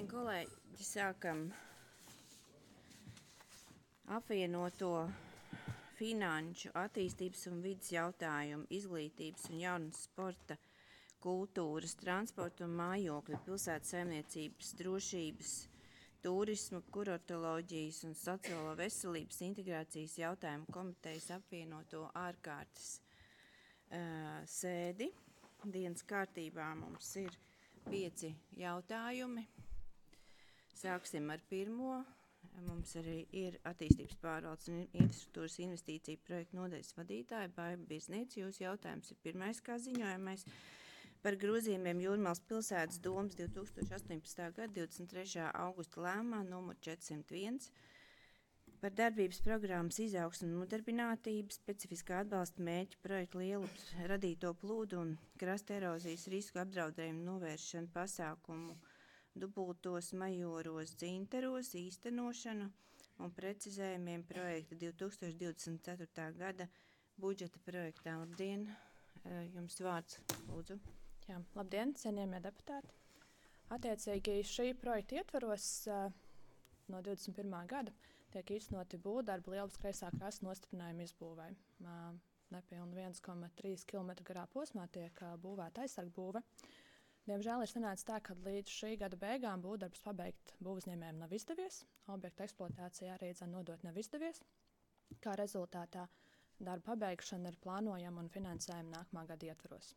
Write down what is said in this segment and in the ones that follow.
Labdien, kolēģi! Sākam apvienoto finanšu, attīstības un vides jautājumu, izglītības un jaunas sporta, kultūras, transporta un mājokļu, pilsētas saimniecības, drošības, turisma, kurortoloģijas un sociālo veselības integrācijas jautājumu komitejas apvienoto ārkārtas sēdi. Dienas kārtībā mums ir 5 jautājumi. Sāksim ar pirmo. Mums arī ir attīstības pārvaldes un infrastruktūras investīciju projektu nodaļas vadītāja Baiba Birzniece. Jūsu jautājums ir pirmais, kā ziņojamais par grozījumiem Jūrmalas pilsētas domas 2018. gada 23. augusta lēmumā numur 401 par darbības programmas izaugsmu un nodarbinātību, specifiskā atbalsta mērķa projektu lielu radīto plūdu un krasta erozijas risku apdraudējumu novēršanu pasākumu dubultos majoros dzinteros īstenošanu un precizējumiem projekta 2024. gada budžeta projektā. Labdien, jums vārds, lūdzu. Jā, labdien, cienījamie deputāti. Attiecīgi šī projekta ietvaros no 21. gada tiek īstenoti būvdarbi Lielupes kreisā krasta nostiprinājumu izbūvei. Nepilni 1,3 km garā posmā tiek būvēta aizsargbūve. Diemžēl ir sanācis tā, ka līdz šī gada beigām būvdarbus pabeigt būvuzņēmējiem nav izdevies, objekta eksploatācija arī nodot nav izdevies. Kā rezultātā darba pabeigšana ir plānojama un finansējama nākamā gada ietvaros.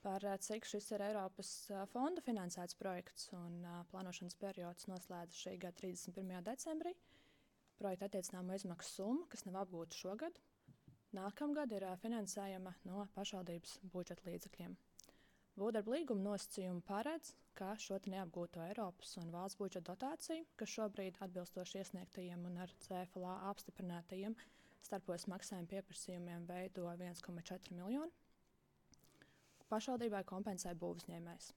Par cik šis ir Eiropas fonda finansēts projekts un plānošanas periods noslēdzas šī gada 31. decembrī. Projekta attiecināmo izmaksu summa, kas nav apgūta šogad, nākamgad ir finansējama no pašvaldības budžeta līdzekļiem. Būvdarba līguma nosacījumi paredz, ka šo neapgūto Eiropas un valsts budžeta dotāciju, kas šobrīd atbilstoši iesniegtajiem un ar CFLA apstiprinātajiem starpos maksājumu pieprasījumiem veido 1,4 miljonu, pašvaldībai kompensē būvuzņēmējs.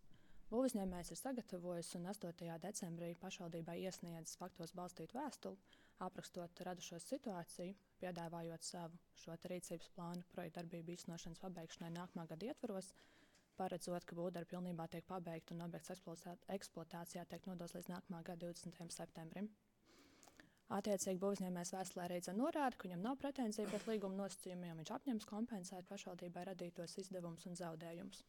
Būvuzņēmējs ir sagatavojis un 8. decembrī pašvaldībai iesniedzis faktos balstītu vēstuli, aprakstot radušos situāciju, piedāvājot savu šo rīcības plānu projekta darbību īstenošanas pabeigšanai nākamā gada ietvaros, paredzot, ka būvdarbi pilnībā tiek pabeigti un objekts eksploatācijā tiek nodots līdz nākamā gada 20. septembrim. Attiecīgi būvuzņēmējs vēstulē arī norāda, ka viņam nav pretenzija pret līguma nosacījumiem, viņš apņems kompensēt pašvaldībai radītos izdevumus un zaudējumus.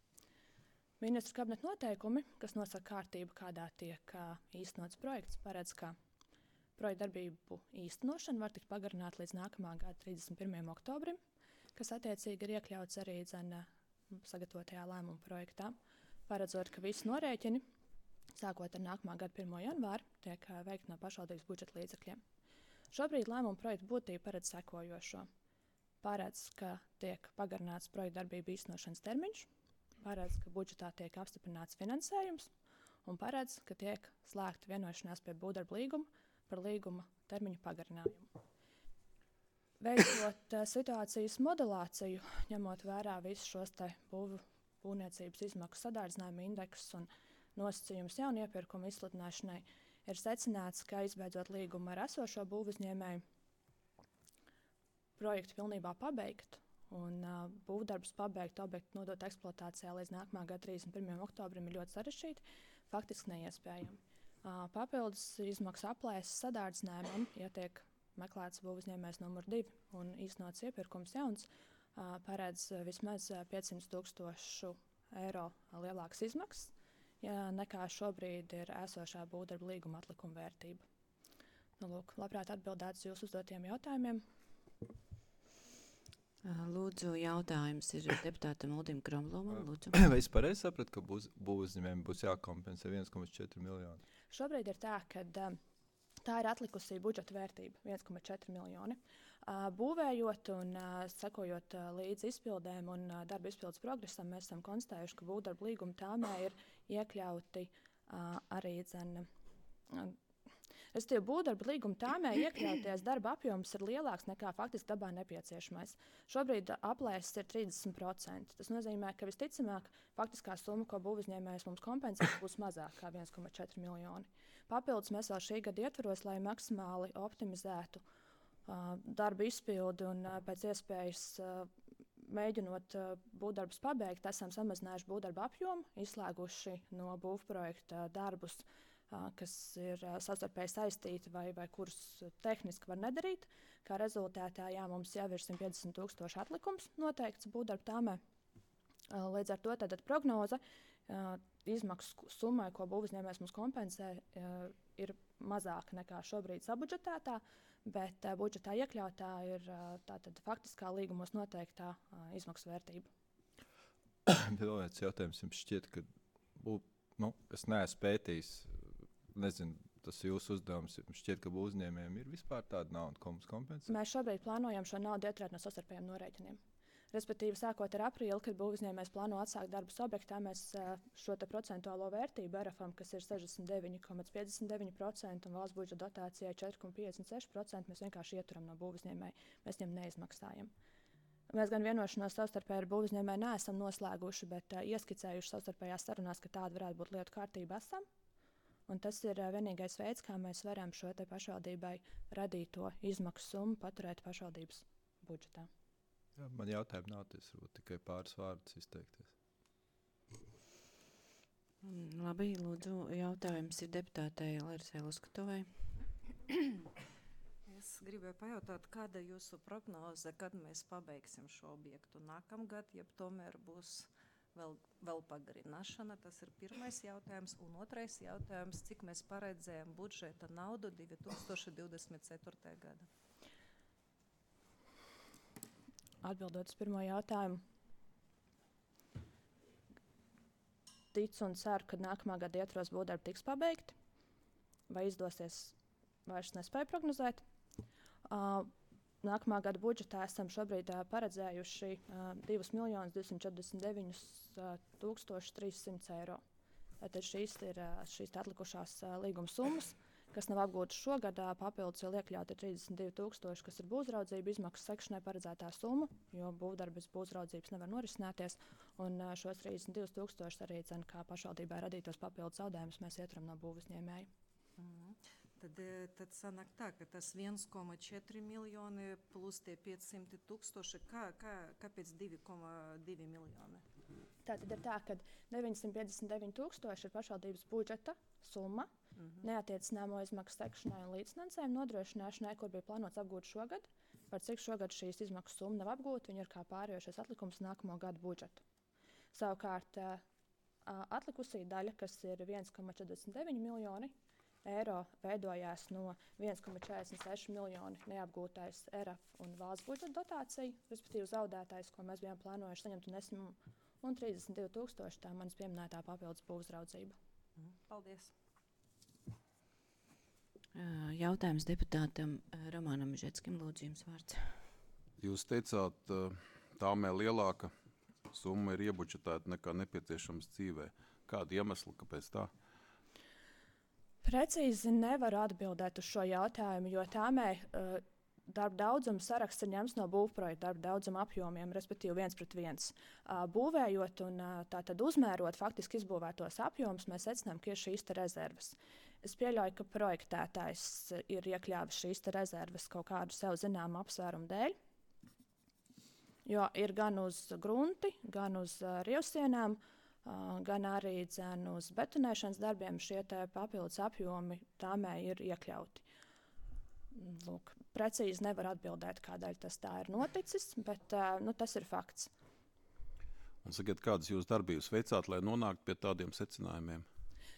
Ministru kabineta noteikumi, kas nosaka kārtību, kādā tiek īstenots projekts, paredz, ka projekta darbību īstenošana var tikt pagarināta līdz nākamā gada 31. oktobrim, kas attiecīgi ir iekļauts arī sagatavotajā lēmuma projektā, paredzot, ka visi norēķini, sākot ar nākamā gada 1. janvāru, tiek veikti no pašvaldības budžeta līdzekļiem. Šobrīd lēmuma projekta būtība paredz sekojošo. Paredz, ka tiek pagarināts projekta darbību īstenošanas termiņš, paredz, ka budžetā tiek apstiprināts finansējums un paredz, ka tiek slēgta vienošanās pie būvdarba līguma par līguma termiņu pagarinājumu. Veicot situācijas modelāciju, ņemot vērā visus šos būvniecības izmaksu sadārdzinājumu indeksus un nosacījumus jaunu iepirkumu izsludināšanai, ir secināts, ka izbeidzot līgumu ar esošo būvuzņēmēju, projektu pilnībā pabeigt un būvdarbus pabeigt, objektu nodot eksploatācijā līdz nākamā gada 31. oktobrim ir ļoti sarežģīti, faktiski neiespējami. Papildus izmaksu aplēses sadārdzinājumam, ja tiek meklēts būvuzņēmējs numur 2 un īstenots iepirkums jauns, paredz vismaz 500,000 eiro lielākas izmaksas, nekā šobrīd ir esošā būvdarba līguma atlikuma vērtība. Lūk, labprāt atbildēt uz jūsu uzdotiem jautājumiem. Lūdzu, jautājums ir deputātam Uldim Kromlomam. Lūdzu. Vai es pareizi sapratu, ka būvuzņēmējiem būs jākompensē 1,4 miljoni? Šobrīd ir tā, ka tā ir atlikusī budžeta vērtība, 1,4 miljoni. Būvējot un sekojot līdz izpildēm un darba izpildes progresam, mēs esam konstatējuši, ka būvdarba līguma tāmē ir iekļauti arī būvdarba līguma tāmē iekļauties darba apjoms ir lielāks nekā faktiski dabā nepieciešamais. Šobrīd aplēses ir 30%. Tas nozīmē, ka visticamāk faktiskā summa, ko būvuzņēmējs mums kompensēs, būs mazāk kā 1,4 miljoni. Papildus mēs vēl šī gada ietvaros, lai maksimāli optimizētu darba izpildi un pēc iespējas mēģinot būvdarbus pabeigt, esam samazinājuši būvdarba apjomu, izslēguši no būvprojekta darbus kas ir savstarpēji saistīti vai kurus tehniski var nedarīt. Kā rezultātā mums jau ir 150,000 atlikums noteikts būvdarbu tāmē. Līdz ar to tātad prognoze izmaksu summai, ko būvuzņēmējs mums kompensē, ir mazāka nekā šobrīd sabudžetētā, bet budžetā iekļautā ir tātad faktiskā līgumos noteiktā izmaksu vērtība. Vēl viens jautājums jums šķiet, ka es neesmu pētījis, nezinu, tas ir jūsu uzdevums, jums šķiet, ka uzņēmējiem ir vispār tāda nauda, ko mums kompensē? Mēs šobrīd plānojam šo naudu ieturēt no savstarpējiem norēķiniem. Respektīvi, sākot ar aprīli, kad būvuzņēmējs plāno atsākt darbus objektā, mēs šo procentuālo vērtību RFam, kas ir 69,59% un valsts budžeta dotācijai 4,56%, mēs vienkārši ieturam no būvuzņēmēja. Mēs viņam neizmaksājam. Mēs gan vienošanos savstarpēji ar būvuzņēmēju neesam noslēguši, bet ieskicējuši savstarpējās sarunās, ka tāda varētu būt lietu kārtība esam. Un tas ir vienīgais veids, kā mēs varam šo pašvaldībai radīto izmaksu summu paturēt pašvaldības budžetā. Jā, man jautājumi nav, tas varbūt tikai pāris vārdus izteikties. Labi, lūdzu, jautājums ir deputātei Larisai Luskatovai. Es gribēju pajautāt, kāda ir jūsu prognoze, kad mēs pabeigsim šo objektu nākamgad, ja tomēr būs vēl pagarināšana. Tas ir pirmais jautājums. Un otrais jautājums, cik mēs paredzējam budžeta naudu 2024. gada? Atbildot uz pirmo jautājumu, ticu un ceru, ka nākamā gada ietvaros būvdarbi tiks pabeigti. Vai izdosies, vairs nespēju prognozēt. Nākamā gada budžetā esam šobrīd paredzējuši 2,249,300 eiro. Tad šīs ir atlikušās līguma summas, kas nav apgūtas šogad. Papildus vēl iekļauti 32,000, kas ir būvraudzību izmaksu sekšanai paredzētā summa, jo būvdarbi bez būvraudzības nevar norisināties. Un šos 32,000 arī kā pašvaldībai radītos papildus zaudējumus mēs ieturam no būvuzņēmēja. Tad sanāk tā, ka tas 1,4 miljoni plus tie 500,000, kāpēc 2,2 miljoni? Tātad ir tā, ka 959,000 ir pašvaldības budžeta summa, neatiecināmo izmaksu sekšanai un līdzfinansējumu nodrošināšanai, kur bija plānots apgūt šogad. Par cik šogad šīs izmaksu summa nav apgūta, viņi ir kā pārējošais atlikums nākamo gadu budžetu. Savukārt atlikusī daļa, kas ir 1,49 miljoni eiro, veidojās no 1,46 miljoni neapgūtais RF un valsts budžeta dotācija, respektīvi zaudētājs, ko mēs bijām plānojuši saņemt, un 32,000 tā manas pieminētā papildus būvraudzība. Paldies! Jautājums deputātam Romanam Žetskim, lūdzu, jums vārds. Jūs teicāt, tāmē lielāka summa ir iebudžetēta nekā nepieciešams dzīvē. Kāda iemesla, kāpēc tā? Precīzi nevaru atbildēt uz šo jautājumu, jo tāmē darba daudzuma saraksts ir ņemts no būvprojekta darba daudzuma apjomiem, respektīvi 1:1. Būvējot un tātad uzmērot faktiski izbūvētos apjomus, mēs secinām, ka ir šīs rezerves. Es pieļauju, ka projektētājs ir iekļāvis šīs rezerves kaut kādu sev zināmu apsvērumu dēļ, jo ir gan uz grunti, gan uz rievsienām, gan arī uz betonēšanas darbiem šie papildus apjomi tāmē ir iekļauti. Lūk, precīzi nevar atbildēt, kādēļ tas tā ir noticis, bet tas ir fakts. Un sakiet, kādas jūs darbības veicāt, lai nonāktu pie tādiem secinājumiem?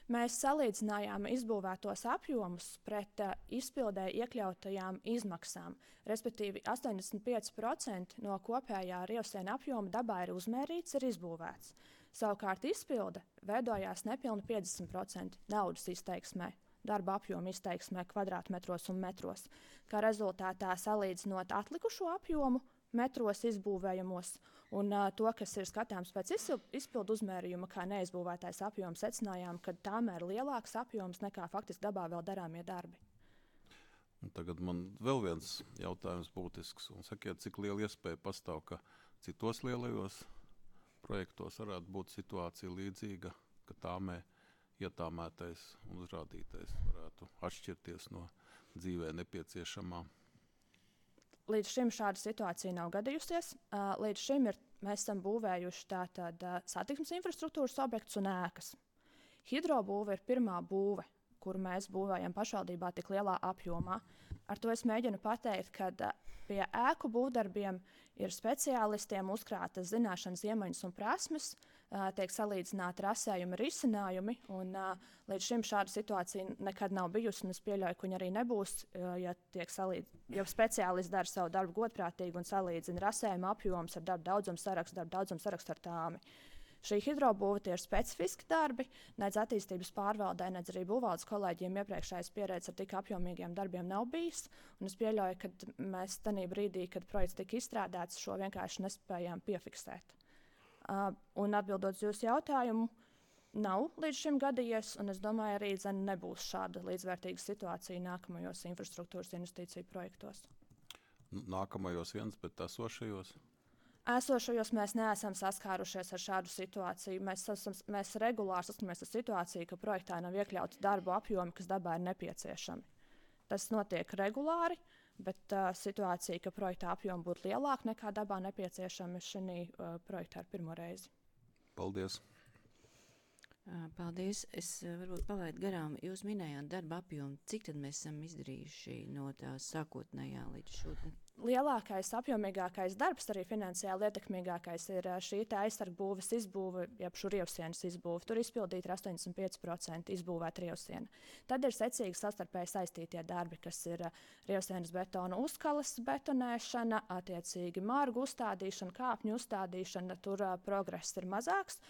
Mēs salīdzinājām izbūvētos apjomus pret izpildē iekļautajām izmaksām. Respektīvi, 85% no kopējā rievsiena apjoma dabā ir uzmērīts, ir izbūvēts. Savukārt izpilde veidojās nepilni 50% naudas izteiksmē, darba apjoma izteiksmē kvadrātmetros un metros. Kā rezultātā salīdzinot atlikušo apjomu metros izbūvējamos un to, kas ir skatāms pēc izpildu uzmērījuma, kā neizbūvētais apjoms, secinājām, ka tāmēr ir lielāks apjoms nekā faktiski dabā vēl darāmie darbi. Un tagad man vēl viens jautājums būtisks. Un sakiet, cik liela iespēja pastāv, ka citos lielajos projektos varētu būt situācija līdzīga, ka tāmē ietāmētais un uzrādītais varētu atšķirties no dzīvē nepieciešamā. Līdz šim šāda situācija nav gadījusies. Līdz šim mēs esam būvējuši satiksmes infrastruktūras objektus un ēkas. Hidrobūve ir pirmā būve, kuru mēs būvējam pašvaldībā tik lielā apjomā. Ar to es mēģinu pateikt, ka pie ēku būvdarbiem ir speciālistiem uzkrātas zināšanas, iemaņas un prasmes, tiek salīdzināti rasējumi, risinājumi, un līdz šim šāda situācija nekad nav bijusi, un es pieļauju, ka viņa arī nebūs, ja speciālisti dara savu darbu godprātīgi un salīdzina rasējuma apjoms ar darba daudzumu sarakstu ar tāmi. Šī hidrobūve tie ir specifiski darbi, nedz attīstības pārvaldē, nedz arī būvvaldes kolēģiem iepriekšējais pieredze ar tik apjomīgiem darbiem nav bijis. Un es pieļauju, ka mēs tajā brīdī, kad projekts tika izstrādāts, šo vienkārši nespējām piefiksēt. Un atbildot uz jūsu jautājumu, nav līdz šim gadījies, un es domāju, arī nebūs šāda līdzvērtīga situācija nākamajos infrastruktūras investīciju projektos. Nākamajos viens, bet esošajos? Esošajos mēs neesam saskārušies ar šādu situāciju. Mēs regulāri saskaramies ar situāciju, ka projektā nav iekļauts darbu apjomi, kas dabā ir nepieciešami. Tas notiek regulāri, bet situācija, ka projektā apjomi būtu lielāki nekā dabā nepieciešami, šī projektā ir pirmo reizi. Paldies! Paldies. Es varbūt palaidu garām. Jūs minējāt darba apjomu. Cik tad mēs esam izdarījuši no tā sākotnējā līdz šodien? Lielākais, apjomīgākais darbs, arī finansiāli ietekmīgākais, ir šī aizsargbūves izbūve, jeb šurjevsienas izbūve. Tur izpildīta 85% izbūvēta rievsiena. Tad ir secīgi savstarpēji saistītie darbi, kas ir rievsienas betona uzkalas betonēšana, attiecīgi mārgu uzstādīšana, kāpņu uzstādīšana. Tur progress ir mazāks.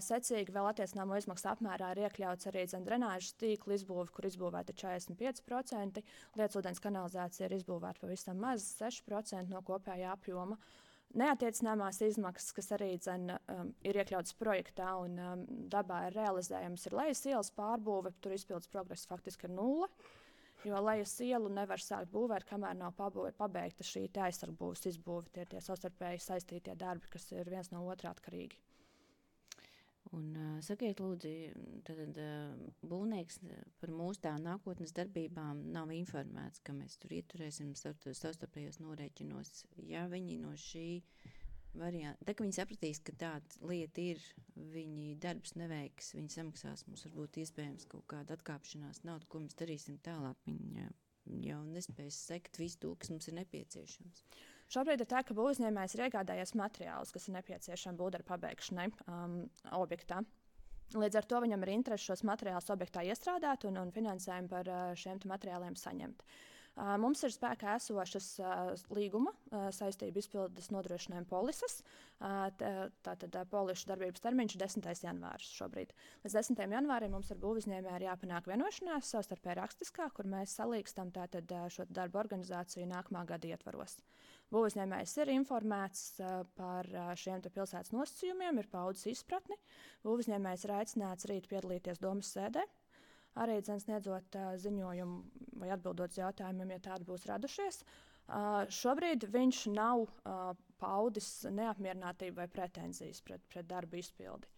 Secīgi vēl attiecināmo izmaksu apmērā ir iekļauts arī drenāžas tīkla izbūve, kur izbūvēta 45%. Lietsūdens kanalizācija ir izbūvēta pavisam maz, 6% no kopējā apjoma. Neattiecināmās izmaksas, kas arī ir iekļautas projektā un dabā ir realizējams, ir lejas ielas pārbūve, tur izpildes progress faktiski ir 0. Jo lejas ielu nevar sākt būvēt, kamēr nav pabeigta šī aizsargbūves izbūve. Tie ir tie savstarpēji saistītie darbi, kas ir viens no otrā atkarīgi. Un sakiet, lūdzu, tad būvnieks par mūsu tā nākotnes darbībām nav informēts, ka mēs tur ieturēsim savstarpējos norēķinos. Ja viņi no šī varianta, tā kā viņi sapratīs, ka tāda lieta ir, viņi darbs neveiks, viņi samaksās, mums varbūt iespējams kaut kāda atkāpšanās naudu, ko mēs darīsim tālāk. Viņi jau nespēs sekt visu to, kas mums ir nepieciešams. Šobrīd ir tā, ka būvniecības ir iegādājies materiālus, kas ir nepieciešami būvdarbu pabeigšanai objektā. Līdz ar to viņam ir interese šos materiālus objektā iestrādāt un finansējumu par šiem materiāliem saņemt. Mums ir spēkā esošas līguma saistību izpildes nodrošinājuma polises. Tātad polišu darbības termiņš ir 10. janvāris šobrīd. Līdz 10. janvārim mums ar būvniecību ir jāpanāk vienošanās savstarpēji rakstiskā, kur mēs salīkstam šo darbu organizāciju nākamā gada ietvaros. Būvniecības ir informēts par šiem pilsētas nosacījumiem, ir paudzes izpratni. Būvniecības ir aicināts rīt piedalīties domas sēdē. Arī sniedzot ziņojumu vai atbildot uz jautājumiem, ja tādi būs radušies. Šobrīd viņš nav paudis neapmierinātību vai pretenzijas pret darbu izpildi.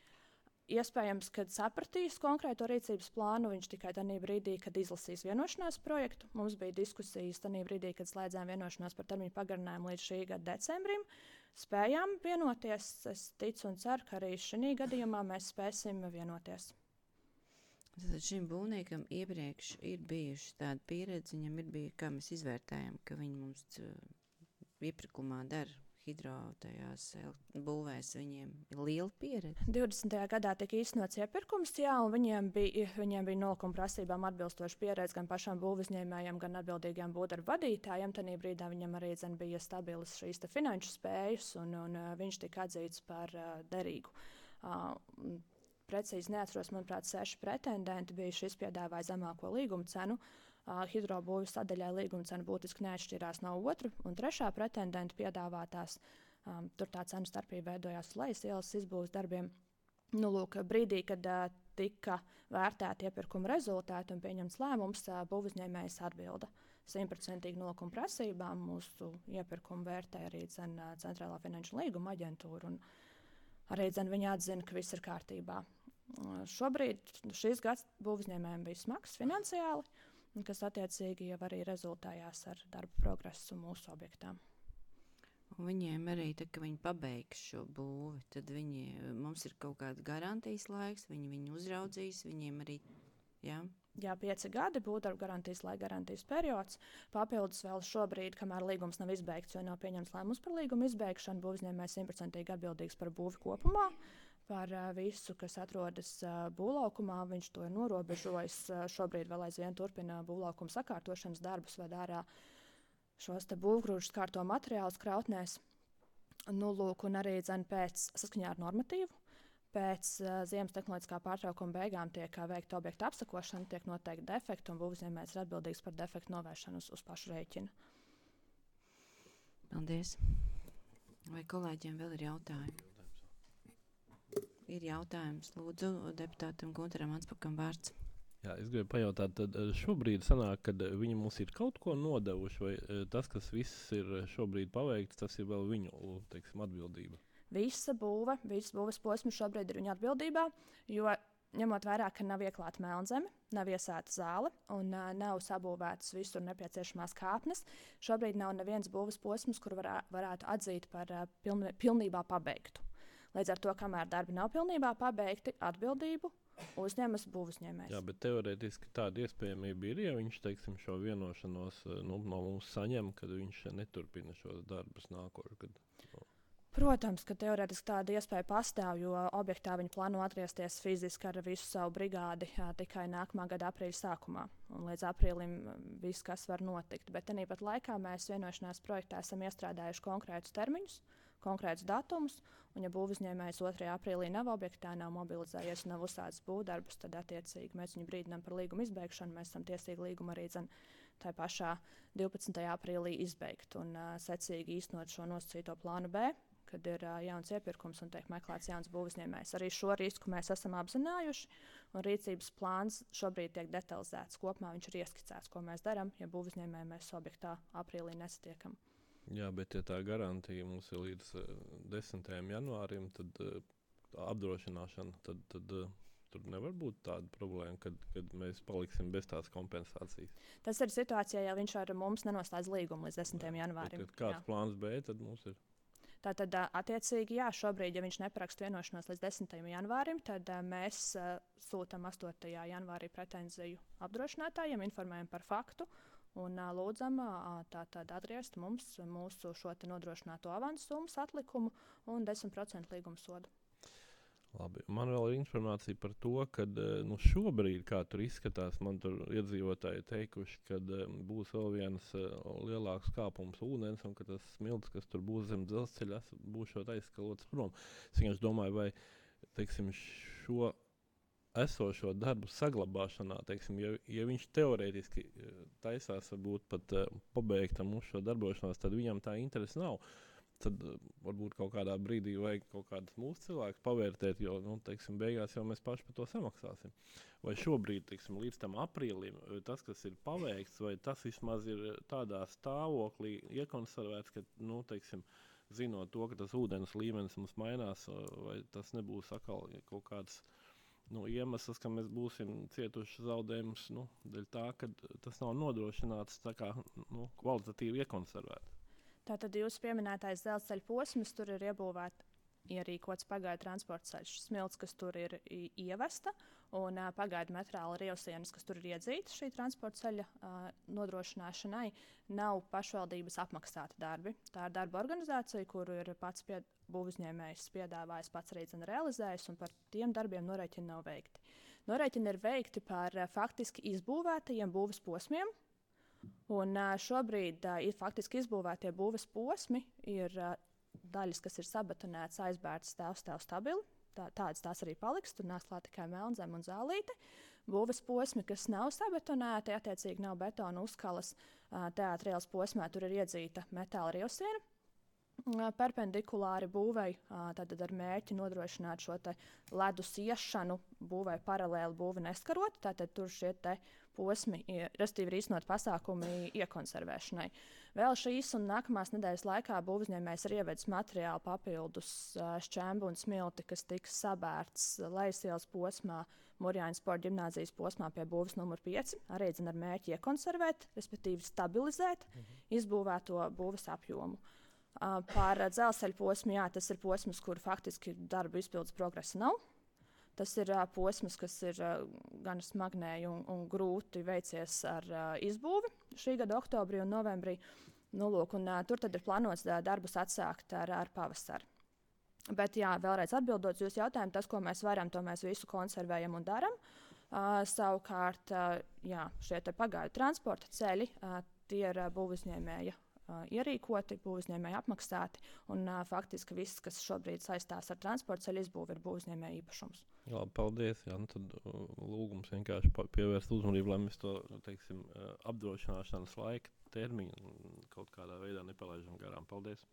Iespējams, kad sapratīs konkrēto rīcības plānu, viņš tikai tajā brīdī, kad izlasīs vienošanās projektu. Mums bija diskusijas tajā brīdī, kad slēdzām vienošanās par termiņu pagarinājumu līdz šī gada decembrim. Spējām vienoties. Es ticu un ceru, ka arī šī gadījumā mēs spēsim vienoties. Tad šim būvniekam iepriekš ir bijuši tāda pieredze, viņam ir bijusi, kā mēs izvērtējam, ka viņi mums iepirkumā dara hidro tajās būvēs, viņiem ir liela pieredze. 20. gadā tika īstenots iepirkums, jā, un viņiem bija nolūkuma prasībām atbilstoša pieredze gan pašām būvniecējiem, gan atbildīgiem būvdarbu vadītājiem. Tanī brīdā viņam arī bija stabilas šīs finanšu spējas, un viņš tika atzīts par derīgu. Precīzi neatceros, manuprāt, 6 pretendenti bija šis piedāvāja zemāko līguma cenu. Hidrobūves sadaļai līguma cena būtiski neatšķirās no 2. un 3. pretendenta piedāvātās. Tur tā cenu starpība veidojās lejas ielas izbūves darbiem. Brīdī, kad tika vērtēti iepirkuma rezultāti un pieņemts lēmums, būvniecības atbilda 100% nolūkuma prasībām. Mūsu iepirkumu vērtē arī Centrālā finanšu līguma aģentūra. Arī viņa atzina, ka viss ir kārtībā. Šobrīd šis gads būvniecībām bija smags finansiāli, kas attiecīgi jau arī rezultējās ar darbu progresu mūsu objektām. Un viņiem arī, kad viņi pabeigs šo būvi, tad mums ir kaut kāda garantijas laiks, viņi uzraudzīs, viņiem arī, jā, Jā, 5 gadi būvdarbu garantijas laika garantijas periods. Papildus vēl šobrīd, kamēr līgums nav izbeigts, jo nav pieņemts lēmums par līguma izbeigšanu, būvuzņēmējs 100% atbildīgs par būvi kopumā, par visu, kas atrodas būvlaukumā. Viņš to ir norobežojis. Šobrīd vēl aizvien turpina būvlaukuma sakārtošanas darbus, ved ārā šos te būvgrūžus kārto materiālus krautnēs. Nu, lūk, un arī pēc saskaņā ar normatīvu. Pēc ziemas tehnoloģiskā pārtraukuma beigām tiek veikta objekta apsakošana, tiek noteikti defekti, un būvuzņēmējs ir atbildīgs par defektu novēršanu uz pašu rēķina. Paldies. Vai kolēģiem vēl ir jautājumi? Ir jautājums. Lūdzu, deputātam Guntaram Anspakam vārds. Jā, es gribu pajautāt, tad šobrīd sanāk, kad viņi mums ir kaut ko nodevuši, vai tas, kas viss ir šobrīd paveikts, tas ir vēl viņu, teiksim, atbildība? Visa būve, visas būves posms šobrīd ir viņa atbildībā, jo ņemot vērā, ka nav ieklāta melnzeme, nav iesēta zāle un nav sabūvētas visur nepieciešamās kāpnes, šobrīd nav neviens būves posms, kur varētu atzīt par pilnībā pabeigtu. Līdz ar to, kamēr darbi nav pilnībā pabeigti, atbildību uzņemas būvuzņēmējs. Jā, bet teorētiski tāda iespējamība ir, ja viņš, teiksim, šo vienošanos no mums saņem, kad viņš neturpina šos darbus nākošais. Protams, ka teorētiski tāda iespēja pastāv, jo objektā viņi plāno atgriezties fiziski ar visu savu brigādi tikai nākamā gada aprīļa sākumā. Un līdz aprīlim viss, kas var notikt. Bet tāpat laikā mēs vienošanās projektā esam iestrādājuši konkrētus termiņus, konkrētus datumus, un ja būvuzņēmējs 2. aprīlī nav objektā, nav mobilizējies un nav uzsācis būvdarbus, tad attiecīgi mēs viņu brīdinām par līguma izbeigšanu. Mēs esam tiesīgi līgumu arī tā pašā 12. aprīlī izbeigt un secīgi īstenot šo nosacīto plānu B, kad ir jauns iepirkums un tiek meklēts jauns būvuzņēmējs. Arī šo risku mēs esam apzinājuši, un rīcības plāns šobrīd tiek detalizēts. Kopumā viņš ir ieskicēts, ko mēs darām, ja būvuzņēmēju mēs objektā aprīlī nesatiekam. Jā, bet ja tā garantija mums ir līdz 10. janvārim, tad apdrošināšana, tad tur nevar būt tāda problēma, kad mēs paliksim bez tās kompensācijas. Tas ir situācijā, ja viņš ar mums nenoslēdz līgumu līdz 10. janvārim. Tad kāds plāns B tad mums ir? Tātad, attiecīgi, jā, šobrīd, ja viņš neparaksta vienošanos līdz 10. janvārim, tad mēs sūtam 8. janvārī pretenziju apdrošinātājiem, informējam par faktu un lūdzam tātad atgriezt mums mūsu šo te nodrošināto avansu summas atlikumu un 10% līguma sodu. Labi. Man vēl ir informācija par to, ka šobrīd, kā tur izskatās, man tur iedzīvotāji teikuši, ka būs vēl viens lielāks kāpums ūdens un ka tas smilts, kas tur būs zem dzelzceļa, būs šot aizskalots prom. Es vienkārši domāju, vai, teiksim, šo esošo darbu saglabāšanā, teiksim, ja viņš teorētiski taisās varbūt pat pabeigtam uz šo darbošanos, tad viņam tā interese nav. Tad varbūt kaut kādā brīdī vajag kaut kādus mūsu cilvēkus pavērtēt, jo, teiksim, beigās jau mēs paši par to samaksāsim. Vai šobrīd, teiksim, līdz tam aprīlim, tas, kas ir paveikts, vai tas vismaz ir tādā stāvoklī iekonservēts, ka, teiksim, zinot to, ka tas ūdens līmenis mums mainās, vai tas nebūs atkal kaut kāds iemesls, ka mēs būsim cietuši zaudējumus, dēļ tā, ka tas nav nodrošināts tā kā kvalitatīvi iekonservēt. Tātad jūsu pieminētais dzelzceļa posms, tur ir ierīkots pagaidu transporta ceļš, smilts, kas tur ir ievesta, un pagaidu metāla rievsienas, kas tur ir iedzītas šī transporta ceļa nodrošināšanai, nav pašvaldības apmaksāti darbi. Tā ir darba organizācija, kuru ir pats būvuzņēmējs piedāvājis, pats arī realizējis, un par tiem darbiem norēķini nav veikti. Norēķini ir veikti par faktiski izbūvētajiem būves posmiem. Un šobrīd ir faktiski izbūvētie būves posmi, ir daļas, kas ir sabetonētas, aizbērtas stāv stabili. Tādas tās arī paliks, tur nāks klāt tikai melnzeme un zālīte. Būves posmi, kas nav sabetonēti, attiecīgi nav betona uzkalas, teātra ielas posmā tur ir iedzīta metāla rievsiena. Perpendikulāri būvei, tad ar mērķi nodrošināt šo te ledus iešanu, būvei paralēli būvi neskarot, tātad tur šie te posmi, respektīvi ir īstenot pasākumi iekonservēšanai. Vēl šīs un nākamās nedēļas laikā būvuzņēmējs ir ievedis materiālu papildus šķembu un smilti, kas tiks sabērts Lejasielas posmā, Murjāņu sporta ģimnāzijas posmā pie būves numur 5, arī ar mērķi iekonservēt, respektīvi stabilizēt izbūvēto būves apjomu. Par dzelzceļa posmu, jā, tas ir posms, kur faktiski darba izpildes progresa nav. Tas ir posms, kas ir gan smagnēji un grūti veicies ar izbūvi šī gada oktobrī un novembrī. Nu, lūk, tur tad ir plānots darbus atsākt ar pavasaru. Bet, jā, vēlreiz atbildot uz jūsu jautājumu, tas, ko mēs varam, to mēs visu konservējam un daram. Savukārt, jā, šie pagaidu transporta ceļi, tie ir būvuzņēmēja ierīkoti, būvuzņēmēja apmaksāti, un faktiski viss, kas šobrīd saistās ar transporta ceļu izbūvi, ir būvuzņēmēja īpašums. Jā, paldies. Jā, nu tad lūgums vienkārši pievērst uzmanību, lai mēs to, teiksim, apdrošināšanas laika termiņu kaut kādā veidā nepalaižam garām. Paldies.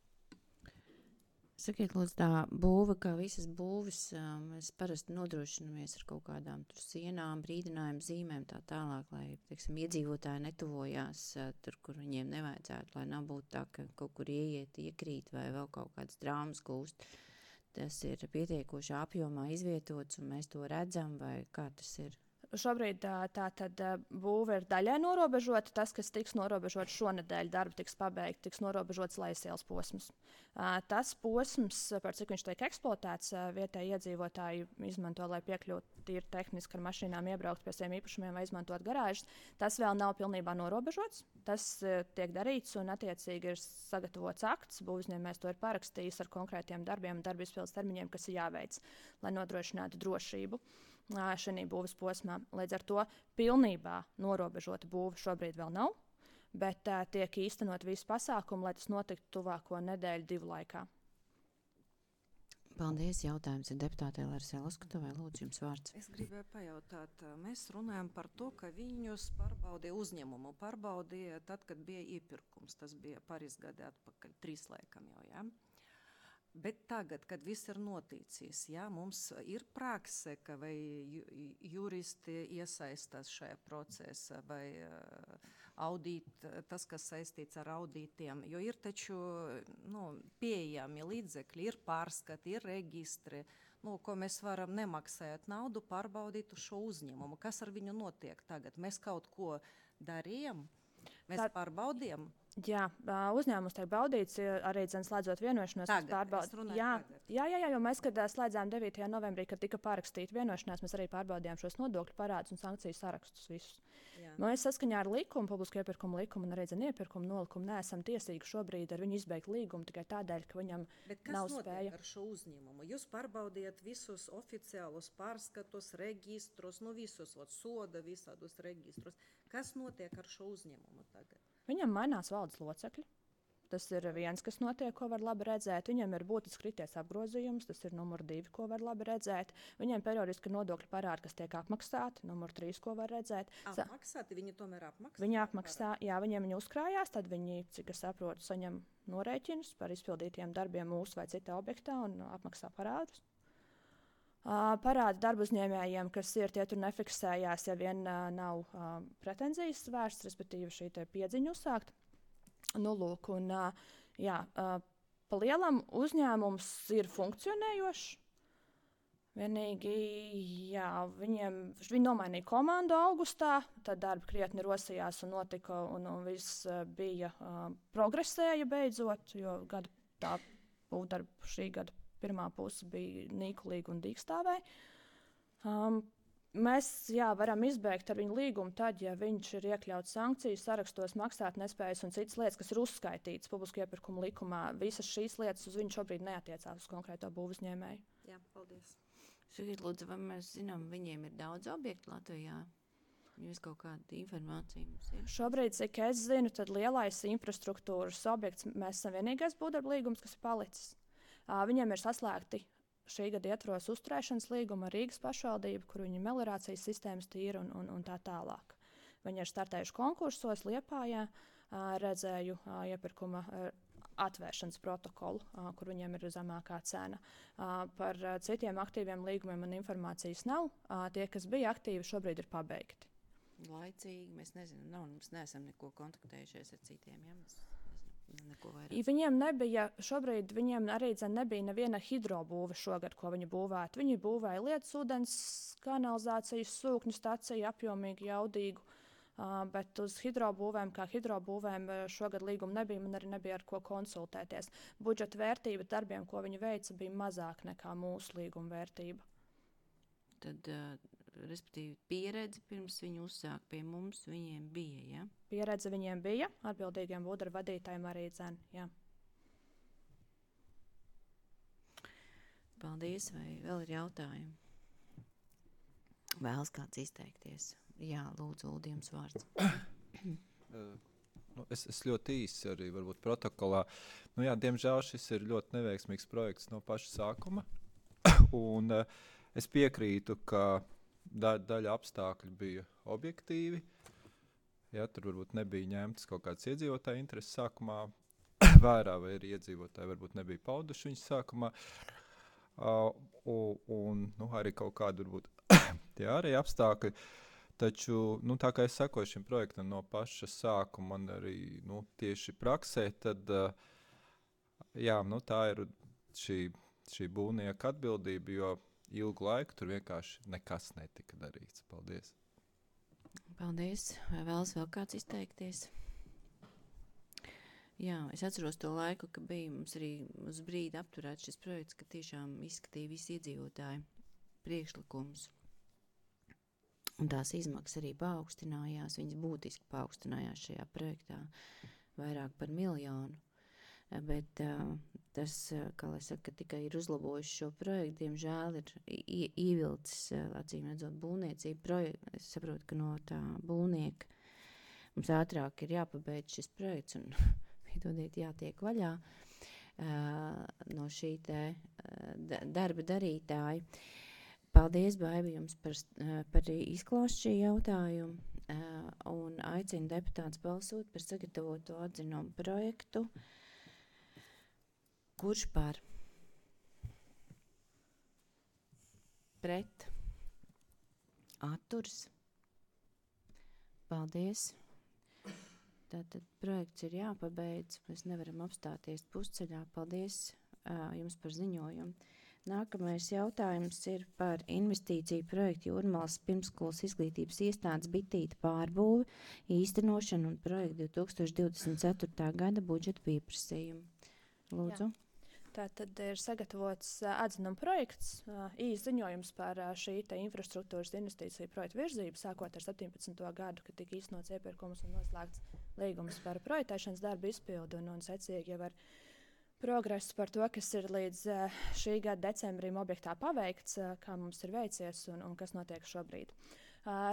Sakiet, lūdzu, tā būva, kā visas būves, mēs parasti nodrošinamies ar kaut kādām tur sienām, brīdinājumu zīmēm tā tālāk, lai, teiksim, iedzīvotāji netuvojās tur, kur viņiem nevajadzētu, lai nav būt tā, ka kaut kur ieiet, iekrīt vai vēl kaut kādas drāmas gūst. Tas ir pietiekoši apjomā izvietots un mēs to redzam, vai kā tas ir? Šobrīd tā tad būve ir daļai norobežota. Tas, kas tiks norobežots šonedēļ, darbi tiks pabeigti, tiks norobežots Lejasielas posms. Tas posms, par cik viņš tiek eksploatēts, vietēji iedzīvotāji izmanto, lai piekļūtu tīri tehniski ar mašīnām, iebraukt pie saviem īpašumiem vai izmantot garāžas. Tas vēl nav pilnībā norobežots. Tas tiek darīts un attiecīgi ir sagatavots akts. Būvuzņēmējs to ir parakstījis ar konkrētiem darbiem un darba izpildes termiņiem, kas ir jāveic, lai nodrošinātu drošību šajā būves posmā. Līdz ar to pilnībā norobežota būve šobrīd vēl nav, bet tiek īstenot visi pasākumi, lai tas notiktu tuvāko nedēļu, 2 laikā. Paldies. Jautājums ir deputātei Larisai Loskatovai. Lūdzu, jums vārds. Es gribēju pajautāt, mēs runājam par to, ka viņus pārbaudīja uzņēmumu. Pārbaudīja tad, kad bija iepirkums. Tas bija pāris gadi atpakaļ, 3 laikam jau, jā. Bet tagad, kad viss ir noticis, jā, mums ir prakse, ka vai juristi iesaistās šajā procesā, vai tas, kas saistīts ar audītiem, jo ir taču pieejami līdzekļi, ir pārskati, ir registri, ko mēs varam nemaksājot naudu pārbaudīt uz šo uzņēmumu. Kas ar viņu notiek tagad? Mēs kaut ko darījām? Mēs pārbaudījām? Jā, uzņēmums tiek baudīts arī slēdzot vienošanos. Jo mēs, kad slēdzām 9. novembrī, kad tika pārakstīta vienošanās, mēs arī pārbaudījām šos nodokļu parādus un sankciju sarakstus visus. Mēs saskaņā ar likumu, publisko iepirkumu likumu un arī iepirkumu nolikumu neesam tiesīgi šobrīd ar viņu izbeigt līgumu tikai tādēļ, ka viņam nav spēja. Bet kas notiek ar šo uzņēmumu? Jūs pārbaudiet visus oficiālus pārskatus, registrus, visus soda, visādus registrus. Kas notiek ar šo uzņēmumu tagad? Viņam mainās valdes locekļi. Tas ir viens, kas notiek, ko var labi redzēt. Viņam ir būtiski krities apgrozījums, tas ir numur 2, ko var labi redzēt. Viņiem periodiski nodokļu parādi, kas tiek apmaksāti, numur 3, ko var redzēt. Apmaksāti? Viņi tomēr apmaksā? Viņi apmaksā, jā, viņiem uzkrājās, tad viņi, cik es saprotu, saņem norēķinus par izpildītiem darbiem mūsu vai citā objektā un apmaksā parādus. Parādi darba uzņēmējiem, kas ir tie tur nefiksējās, ja vien nav pretenzijas vērsts, respektīvi šī piedziņa uzsākt. Lūk, un pa lielam uzņēmums ir funkcionējošs. Vienīgi, viņi nomainīja komandu augustā, tad darbi krietni rosījās un notika, un viss bija progresēja beidzot, jo tā būvdarba šī gada pirmā puse bija nīkulīga un dīkstāvēja. Mēs varam izbeigt ar viņu līgumu tad, ja viņš ir iekļauts sankciju sarakstos, maksāt nespējas un citas lietas, kas ir uzskaitītas publisko iepirkumu likumā. Visas šīs lietas uz viņu šobrīd neatiecās uz konkrēto būvuzņēmēju. Jā, paldies. Sakiet, lūdzu, vai mēs zinām, viņiem ir daudz objektu Latvijā? Jūs kaut kāda informācija mums ir? Šobrīd, cik es zinu, tad lielais infrastruktūras objekts, mēs esam vienīgais būvdarba līgums, kas ir palicis. Viņiem ir saslēgti šī gada ietvaros uzturēšanas līguma ar Rīgas pašvaldību, kur viņi meliorācijas sistēmas tīra un tā tālāk. Viņi ir startējuši konkursos Liepājā, redzēju iepirkuma atvēršanas protokolu, kur viņiem ir zemākā cena. Par citiem aktīviem līgumiem man informācijas nav. Tie, kas bija aktīvi, šobrīd ir pabeigti. Laicīgi, mēs nezinām, mēs neesam neko kontaktējušies ar citiem, ja mēs Viņiem nebija, šobrīd viņiem arī nebija neviena hidrobūve šogad, ko viņi būvētu. Viņi būvēja lietas ūdens kanalizācijas sūkņu staciju, apjomīgu, jaudīgu, bet uz hidrobūvēm, kā hidrobūvēm šogad līguma nebija, man arī nebija ar ko konsultēties. Budžeta vērtība darbiem, ko viņi veica, bija mazāk nekā mūsu līguma vērtība. tad, respektīvi, pieredze pirms viņi uzsāk pie mums, viņiem bija, ja? Pieredze viņiem bija, atbildīgiem būdarbu vadītājiem arī dzen, jā. Paldies, vai vēl ir jautājumi? Vēlas kāds izteikties? Jā, lūdzu, Uldi, jums vārds. Es ļoti īsi arī varbūt protokolā. Jā, diemžēl šis ir ļoti neveiksmīgs projekts no paša sākuma. Un es piekrītu, ka daļa apstākļu bija objektīvi. Ja, tur varbūt nebija ņemtas kaut kādas iedzīvotāju intereses sākumā vērā, vai arī iedzīvotāji varbūt nebija pauduši viņas sākumā. Un arī kaut kādi varbūt tie arī apstākļi. Taču, tā kā es sekoju šim projektam no paša sākuma, man arī tieši praksē, tad tā ir šī būvnieka atbildība, jo ilgu laiku tur vienkārši nekas netika darīts. Paldies. Paldies. Vai vēlas vēl kāds izteikties? Jā, es atceros to laiku, ka bija mums arī uz brīdi apturēts šis projekts, ka tiešām izskatīja visi iedzīvotāji priekšlikumus. Un tās izmaksas arī paaugstinājās, viņas būtiski paaugstinājās šajā projektā, vairāk par 1 miljonu. Bet tas, kā lai saka, tikai ir uzlabojuši šo projektu, diemžēl ir ievilcis, acīm redzot, būvniecību. Es saprotu, ka no tā būvnieka mums ātrāk ir jāpabeidz šis projekts un piedodiet, jātiek vaļā no šī te darba darītāja. Paldies, Baivi, jums par izklāstu šī jautājumu un aicinu deputātus balsot par sagatavoto atzinumu projektu. Kurš par? Pret? Atturs? Paldies. Tātad projekts ir jāpabeidz, mēs nevaram apstāties pusceļā. Paldies jums par ziņojumu. Nākamais jautājums ir par investīciju projektu Jūrmalas pirmsskolas izglītības iestādes bitīta pārbūvi, īstenošanu un projektu 2024. gada budžeta pieprasījumu. Lūdzu. Jā. Tātad ir sagatavots atzinuma projekts, īsts ziņojums par šī infrastruktūras investīciju projektu virzību, sākot ar 17. gadu, kad tika īstenots iepirkums un noslēgts līgums par projektēšanas darbu izpildu un secīgi jau ar progresu par to, kas ir līdz šī gada decembrim objektā paveikts, kā mums ir veicies un kas notiek šobrīd.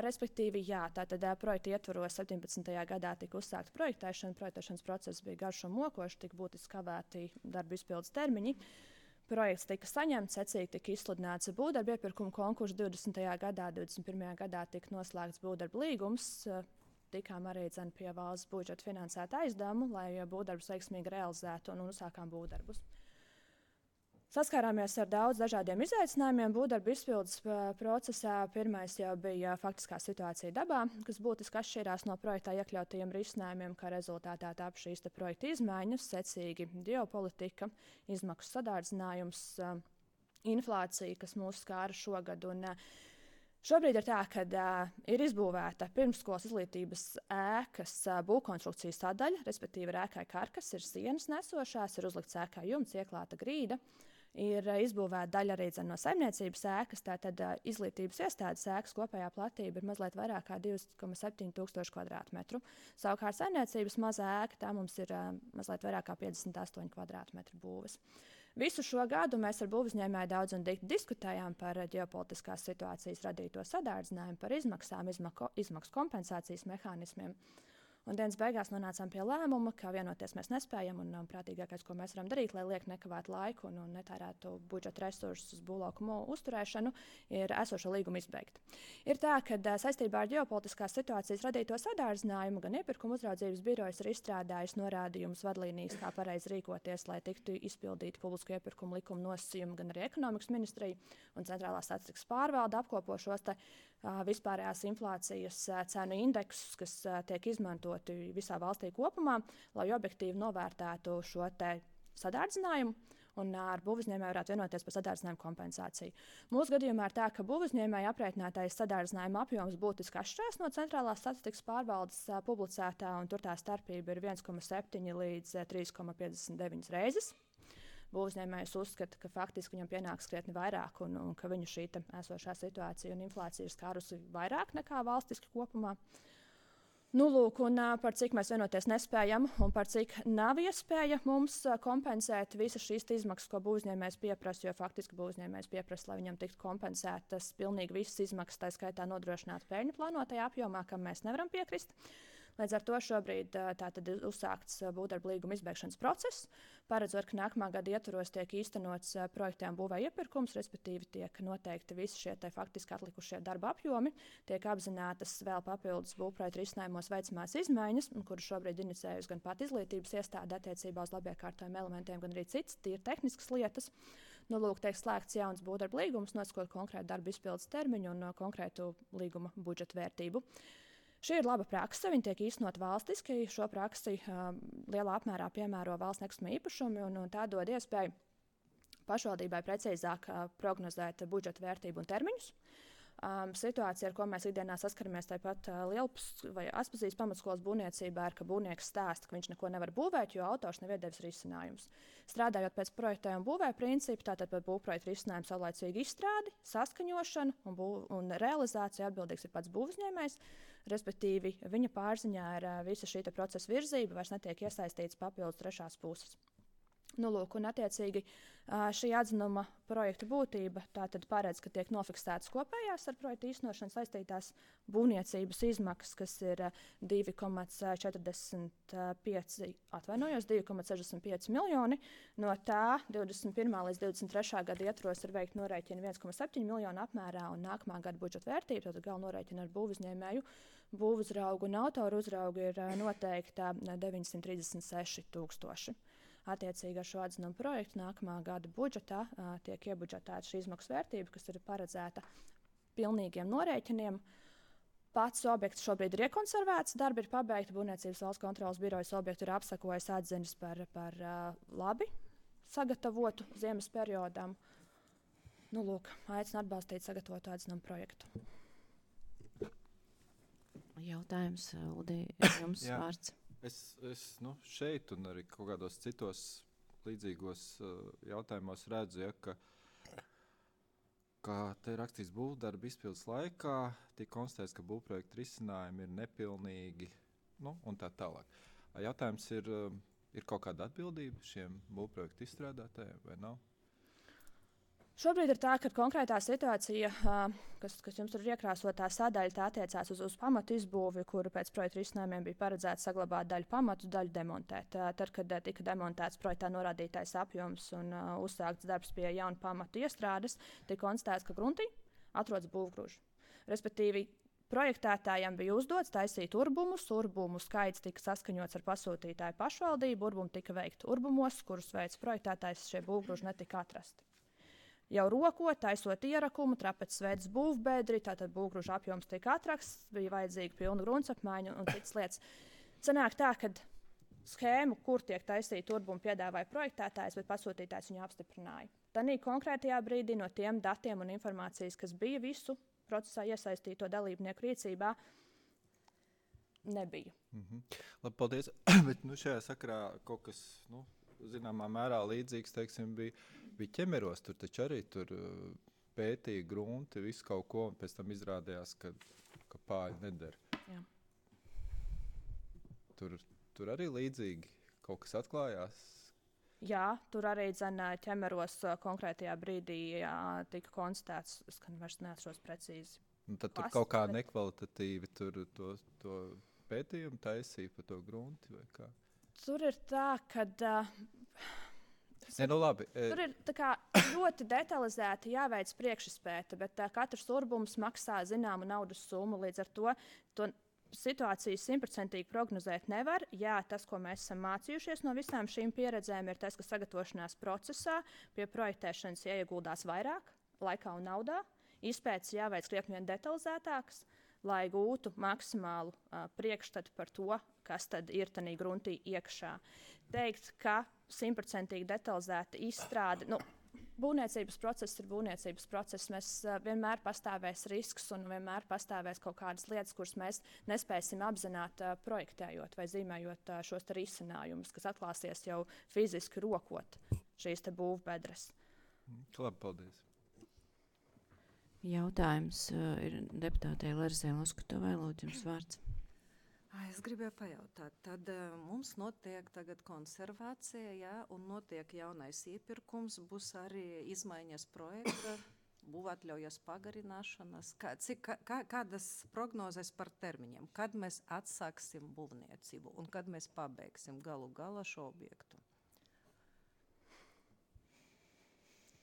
Respektīvi, jā, tātad projekta ietvaros 17. gadā tika uzsākta projektēšana. Projektēšanas process bija garš un mokošs, tika būtiski kavēti darba izpildes termiņi. Projekts tika saņemts, secīgi tika izsludināts būvdarbu iepirkuma konkurss 20. gadā, 21. gadā tika noslēgts būvdarbu līgums. Tikām arī pie valsts budžeta finansēta aizdevumu, lai būvdarbus veiksmīgi realizētu un uzsākām būvdarbus. Saskārāmies ar daudz dažādiem izaicinājumiem būvdarbu izpildes procesā. Pirmais jau bija faktiskā situācija dabā, kas būtiski atšķirās no projektā iekļautajiem risinājumiem, kā rezultātā tapa šīs projekta izmaiņas, secīgi ģeopolitika, izmaksu sadārdzinājums, inflācija, kas mūs skāra šogad. Šobrīd ir tā, ka ir izbūvēta pirmsskolas izglītības ēkas būvkonstrukcijas sadaļa, respektīvi ir ēkai karkas, ir sienas nesošās, ir uzlikts ēkai jumts, ieklāta grīda. Ir izbūvēta daļa arī no saimniecības ēkas, tātad izglītības iestādes ēkas kopējā platība ir mazliet vairāk kā 2,7 tūkstoši kvadrātmetru. Savukārt saimniecības mazā ēka, tā mums ir mazliet vairāk kā 58 kvadrātmetru būves. Visu šo gadu mēs ar būvuzņēmēju daudz un diskutējām par ģeopolitiskās situācijas radīto sadārdzinājumu, par izmaksām, izmaksu kompensācijas mehānismiem. Un dienas beigās nonācām pie lēmuma, ka vienoties mēs nespējam un prātīgākais, ko mēs varam darīt, lai liek nekavētu laiku un netērētu budžeta resursus uz būvlaukumu uzturēšanu, ir esošo līgumu izbeigt. Ir tā, ka saistībā ar ģeopolitiskās situācijas radīto sadārdzinājumu gan iepirkuma uzraudzības birojas ir izstrādājis norādījumus vadlīnijas, kā pareizi rīkoties, lai tiktu izpildīti publisko iepirkumu likuma nosacījumi, gan arī ekonomikas ministrija un centrālā statistikas pārvalde apkopo šos vispārējās inflācijas cenu indeksus, kas tiek izmantoti visā valstī kopumā, lai objektīvi novērtētu šo sadārdzinājumu un ar būvuzņēmēju varētu vienoties par sadārdzinājumu kompensāciju. Mūsu gadījumā ir tā, ka būvuzņēmēju aprēķinātais sadārdzinājuma apjoms būtiski atšķirās no centrālās statistikas pārvaldes publicētā, un tur tā starpība ir 1,7 līdz 3,59 reizes. būvniecības uzskata, ka faktiski viņam pienāks krietni vairāk un ka viņu šī esošā situācija un inflācija ir skārusi vairāk nekā valstiski kopumā. Nu, lūk, un par cik mēs vienoties nespējam un par cik nav iespēja mums kompensēt visas šīs izmaksas, ko būvniecības pieprasa, jo faktiski būvniecības pieprasa, lai viņam tiktu kompensētas pilnīgi visas izmaksas, tā skaitā nodrošināt peļņu plānotajā apjomā, kam mēs nevaram piekrist. Līdz ar to šobrīd tātad ir uzsākts būvdarbu līguma izbeigšanas process, paredzot, ka nākamā gada ietvaros tiek īstenots projektiem būvēja iepirkums, respektīvi tiek noteikti visi šie faktiski atlikušie darba apjomi, tiek apzinātas vēl papildus būvprojektu risinājumos veicamās izmaiņas, kuras šobrīd inicējusi gan pat izglītības iestāde attiecībā uz labiekārtojumiem elementiem, gan arī citas tīri tehniskas lietas. Nu, lūk, tiek slēgts jauns būvdarbu līgums, nosakot konkrētu darbu izpildes termiņu un konkrētu līguma budžeta vērtību. Šī ir laba prakse, viņa tiek īstenot valstiski. Šo praksi lielā apmērā piemēro valsts nekustamie īpašumi, un tā dod iespēju pašvaldībai precīzāk prognozēt budžeta vērtību un termiņus. Situācija, ar ko mēs ikdienā saskaramies, tāpat Lielpas vai Aspazijas pamatskolas būvniecībā, ir, ka būvnieks stāsta, ka viņš neko nevar būvēt, jo autors nav iedevis risinājumus. Strādājot pēc projektējumu un būvēja principu, tātad par būvprojektu risinājumu saulaicīgu izstrādi, saskaņošanu un realizāciju atbildīgs ir pats būvniecējs. Respektīvi, viņa pārziņā ir visa šī procesa virzība, vairs netiek iesaistīts papildus trešās puses. Nu, lūk, un attiecīgi šī atzinuma projekta būtība tātad paredz, ka tiek nofiksētas kopējās ar projektu īstenošanu saistītās būvniecības izmaksas, kas ir 2,65 miljoni. No tā 21. līdz 23. gada ietvaros ir veikti norēķini 1,7 miljonu apmērā un nākamā gada budžeta vērtība, tad galva norēķina ar būvuzņēmēju, būvuzraugu un autoru uzraugu ir noteikta 936 000. Attiecīgi ar šo atzinumu projektu nākamā gada budžetā tiek iebudžetēta šī izmaksu vērtība, kas ir paredzēta pilnīgiem norēķiniem. Pats objekts šobrīd ir iekonservēts, darbi ir pabeigti, Būvniecības valsts kontroles birojas objektu ir apsakojis atziņas par labi sagatavotu ziemas periodam. Nu, lūk, aicinu atbalstīt sagatavotu atzinumu projektu. Jautājums, Uldi, jums vārds. Es šeit un arī kaut kādos citos līdzīgos jautājumos redzu, ka te ir rakstīts būvdarba izpildes laikā, tiek konstatēts, ka būvprojektu risinājumi ir nepilnīgi, un tā tālāk. Jautājums ir kaut kāda atbildība šiem būvprojektu izstrādātājiem vai nav? Šobrīd ir tā, ka konkrētā situācija, kas jums tur ir iekrāsotā sadaļa, tā attiecās uz pamatu izbūvi, kuru pēc projekta risinājumiem bija paredzēts saglabāt daļu pamatu, daļu demontēt. Tad, kad tika demontēts projektā norādītais apjoms un uzsākts darbs pie jaunu pamatu iestrādes, tika konstatēts, ka gruntī atrodas būvgrūži. Respektīvi, projektētājiem bija uzdots taisīt urbumus, urbumu skaits tika saskaņots ar pasūtītāju pašvaldību, urbumi tika veikti urbumos, kurus veids projektētājs, šie būvgrūži netika atrasti. Jau rokot, taisot ierakumu, trapeces veids būvbēdri, tātad būvgrūža apjoms tika atrasts, bija vajadzīga pilna gruntsapmaiņa un citas lietas. Sanāk tā, ka schēmu, kur tiek taisīta urbumu, piedāvāja projektētājs, bet pasūtītājs viņu apstiprināja. Tanī konkrētajā brīdī no tiem datiem un informācijas, kas bija visu procesā iesaistīto dalībnieku rīcībā, nebija. Labi, paldies. Bet šajā sakarā kaut kas, zināmā mērā līdzīgs, teiksim, bija ķemeros. Tur taču arī pētīja grunti, visu kaut ko, un pēc tam izrādījās, ka pāļi neder. Jā. Tur arī līdzīgi kaut kas atklājās? Jā, tur arī ķemeros konkrētajā brīdī tika konstatēts, es vairs neatceros precīzi. Tad tur kaut kā nekvalitatīvi to pētījumu taisīja par to grunti vai kā? Tur ir tā, ka labi. Tur ir ļoti detalizēti jāveic priekšizpēte, bet katrs urbums maksā zināmu naudas summu. Līdz ar to situāciju 100% prognozēt nevar. Jā, tas, ko mēs esam mācījušies no visām šīm pieredzēm, ir tas, ka sagatavošanās procesā pie projektēšanas jāieguldās vairāk laikā un naudā. Izpētes jāveic krietni vien detalizētākas, lai gūtu maksimālu priekšstatu par to, kas tad ir tanī gruntī iekšā. Teikt, ka 100% detalizēta izstrāde, būvniecības process ir būvniecības process. Mēs vienmēr pastāvēs risks un vienmēr pastāvēs kaut kādas lietas, kuras mēs nespēsim apzināt projektējot vai zīmējot šos risinājumus, kas atklāsies jau fiziski rokot šīs te būvbedres. Labi, paldies. Jautājums ir deputātei Larisai Loskutovai. Lūdzu, jums vārds. Es gribēju pajautāt, tad mums notiek tagad konservācija, jā, un notiek jaunais iepirkums, būs arī izmaiņas projekta, būvatļaujas pagarināšanas. Kādas prognozes par termiņiem? Kad mēs atsāksim būvniecību un kad mēs pabeigsim galu galā šo objektu?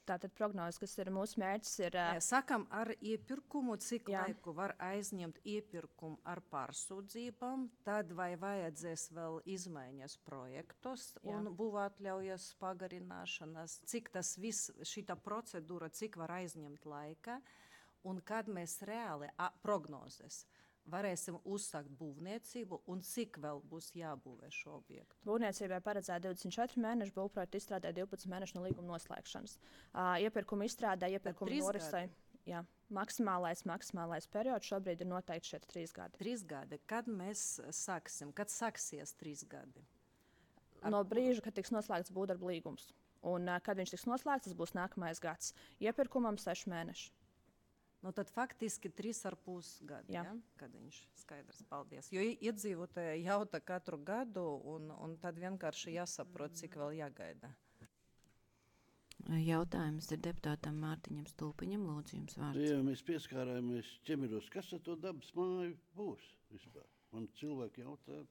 Tātad prognozes, kas ir mūsu mērķis, ir... Sakam ar iepirkumu, cik Jā. laiku var aizņemt iepirkumu ar pārsūdzībām, tad vai vajadzēs vēl izmaiņas projektos Jā. un būvatļaujas pagarināšanas, cik tas viss, šita procedūra, cik var aizņemt laika, un kad mēs reāli prognozes varēsim uzsākt būvniecību un cik vēl būs jābūvē šo objektu. Būvniecībai paredzēta 24 mēneši, būvprojekta izstrādē 12 mēnešu no līguma noslēgšanas. Iepirkuma izstrādē, iepirkuma norisei. Jā, maksimālais periods šobrīd ir noteikti šeit 3 gadi. 3 gadi. Kad mēs sāksim? Kad sāksies 3 gadi? No brīža, kad tiks noslēgts būvdarba līgums. Un kad viņš tiks noslēgts, tas būs nākamais gads. Iepirkumam 6 mēneši. Nu, tad faktiski 3,5 gadi, Jā. ja? Kad viņš skaidrs, paldies. Jo iedzīvotāji jauta katru gadu, un tad vienkārši jāsaprot, cik vēl jāgaida. Jautājums ir deputātam Mārtiņam Stulpiņam. Lūdzu, jums vārds. Jā, mēs pieskārāmies ķemiros. Kas ar to dabas māju būs vispār? Man cilvēki jautā,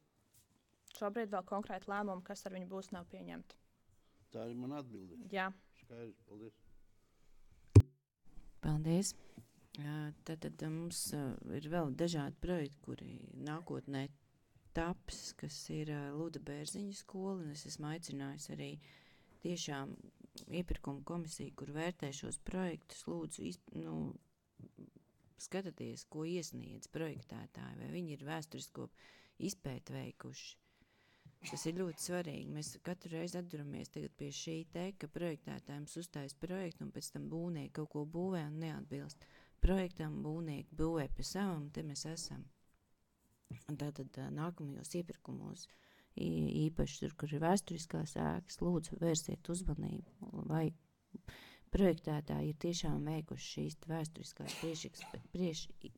Šobrīd vēl konkrēti lēmumi, kas ar viņu būs, nav pieņemti. tā ir man atbilde. Jā. Skaidrs, paldies. Paldies. Tad mums ir vēl dažādi projekti, kuri nākotnē taps, kas ir Luda Bērziņu skola. Un es esmu aicinājusi arī tiešām iepirkuma komisiju, kur vērtē šos projektus. Lūdzu, skatieties, ko iesniedz projektētāji, vai viņi ir vēsturisko izpēti veikuši. Tas ir ļoti svarīgi. Mēs katru reizi atduramies pie šī te, ka projektētājiem uzstājas projektu un pēc tam būvnieki kaut ko būvē un neatbilst projektam, būvnieki būvē pie savam, te mēs esam. Un tātad nākamajos iepirkumos, īpaši tur, kur ir vēsturiskās ēkas, lūdzu vērsiet uzmanību, vai projektētāji ir tiešām veikuši šīs vēsturiskās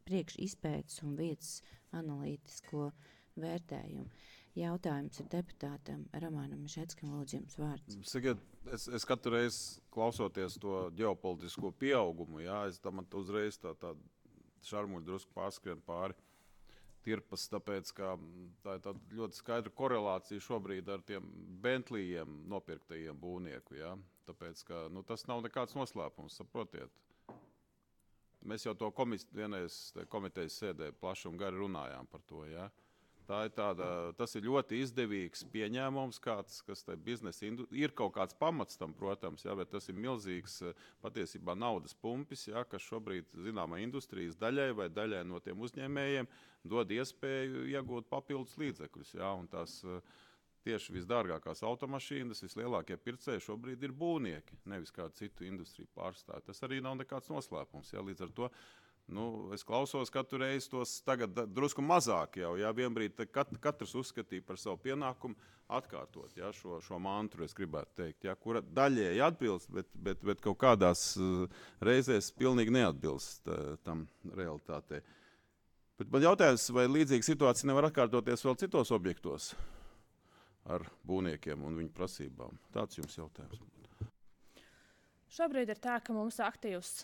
priekšizpētes un vietas analītisko vērtējumu. Jautājums ir deputātam Romanam Mišetskam. Lūdzu, jums vārds. Sakiet, es katru reizi klausoties to ģeopolitisko pieaugumu, jā, man uzreiz tā šarmuļi drusku pārskrien pāri tirpas, tāpēc, ka tā ir tāda ļoti skaidra korelācija šobrīd ar tiem Bentleyiem nopirktajiem būvnieku, jā. Tāpēc, ka tas nav nekāds noslēpums, saprotiet. Mēs jau to vienreiz komitejas sēdē plaši un gari runājām par to, jā. Tas ir ļoti izdevīgs pieņēmums, kas tai biznesa ir kaut kāds pamats tam, protams, jā, bet tas ir milzīgs patiesībā naudas pumpis, jā, kas šobrīd zināmā industrijas daļai vai daļai no tiem uzņēmējiem dod iespēju iegūt papildus līdzekļus. Jā, un tās tieši visdārgākās automašīnas, vislielākie pircēji šobrīd ir būvnieki, nevis kādu citu industriju pārstāvji. Tas arī nav nekāds noslēpums. Jā, līdz ar to es klausos katru reizi tos tagad drusku mazāk jau, jā, vienbrīd katrs uzskatīja par savu pienākumu atkārtot, jā, šo mantru, es gribētu teikt, jā, kura daļēji atbilst, bet kaut kādās reizēs pilnīgi neatbilst tam realitātei. Bet man jautājums, vai līdzīga situācija nevar atkārtoties vēl citos objektos ar būvniekiem un viņu prasībām? Tāds jums jautājums. Šobrīd ir tā, ka mums aktīvs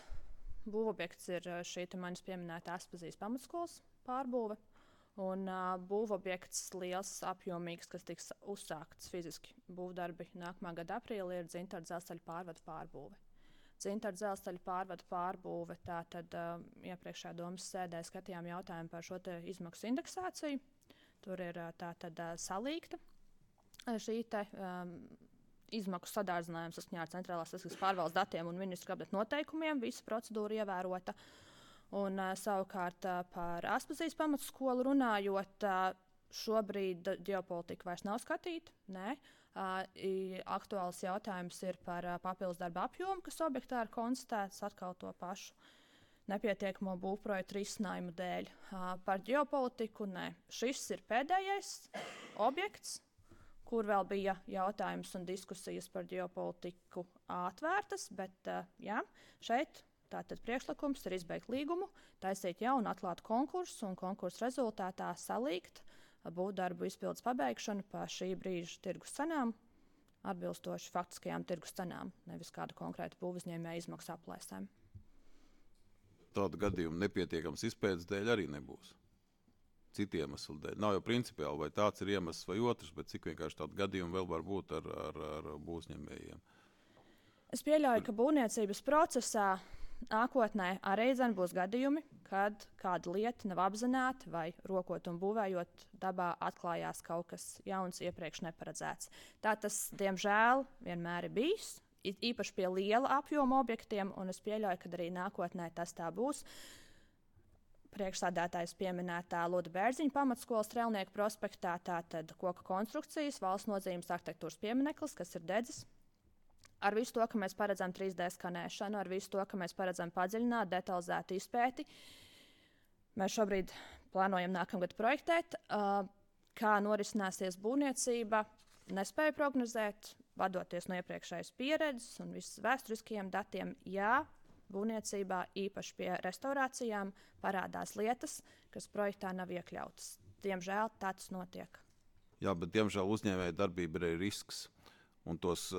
būvobjekts ir šī manis pieminēta Aspazijas pamatskolas pārbūve. Un būvobjekts liels, apjomīgs, kas tiks uzsākts fiziski būvdarbi nākamā gada aprīlī, ir Dzintaru dzelzceļa pārvadu pārbūve. Dzintaru dzelzceļa pārvadu pārbūve, tātad iepriekšējā domas sēdē skatījām jautājumu par šo te izmaksu indeksāciju. Tur ir tātad salīgta šī te izmaksu sadārdzinājums saskaņā ar centrālās statistikas pārvaldes datiem un ministru kabineta noteikumiem. Visa procedūra ievērota. Un savukārt par Aspazijas pamatskolu runājot, šobrīd ģeopolitika vairs nav skatīta. Nē. Aktuāls jautājums ir par papildus darba apjomu, kas objektā ir konstatēts atkal to pašu nepietiekamo būvprojektu risinājumu dēļ. Par ģeopolitiku nē. Šis ir pēdējais objekts, kur vēl bija jautājums un diskusijas par ģeopolitiku atvērtas, bet jā, šeit tātad priekšlikums ir izbeigt līgumu, taisīt jaunu atklātu konkursu un konkursu rezultātā salīgt būvdarbu izpildes pabeigšanu pa šī brīža tirgus cenām, atbilstoši faktiskajām tirgus cenām, nevis kāda konkrēta būvuzņēmēja izmaksu aplēsēm. Tāda gadījuma nepietiekams izpētes dēļ arī nebūs. Citi iemesli dēļ. Nav jau principiāli, vai tāds ir iemesls vai otrs, bet cik vienkārši tādu gadījumu vēl var būt ar būvuzņēmējiem. Es pieļauju, ka būvniecības procesā nākotnē arī būs gadījumi, kad kāda lieta nav apzināta vai rokot un būvējot dabā atklājās kaut kas jauns, iepriekš neparedzēts. Tā tas, diemžēl, vienmēr ir bijis, īpaši pie liela apjoma objektiem, un es pieļauju, ka arī nākotnē tas tā būs. Priekšsādātājs pieminētā Luda Bērziņa pamatskolas Strēlnieku prospektā, tātad koka konstrukcijas, valsts nozīmes arhitektūras piemineklis, kas ir dedzis. Ar visu to, ka mēs paredzam 3D skanēšanu, ar visu to, ka mēs paredzam padziļināt, detalizētu izpēti, mēs šobrīd plānojam nākamgad projektēt. Kā norisināsies būvniecība, nespēju prognozēt, vadoties no iepriekšējas pieredzes un visas vēsturiskajiem datiem. Jā, būvniecībā, īpaši pie restaurācijām, parādās lietas, kas projektā nav iekļautas. Diemžēl tāds notiek. Jā, bet diemžēl uzņēmēja darbība ir arī risks. Un tos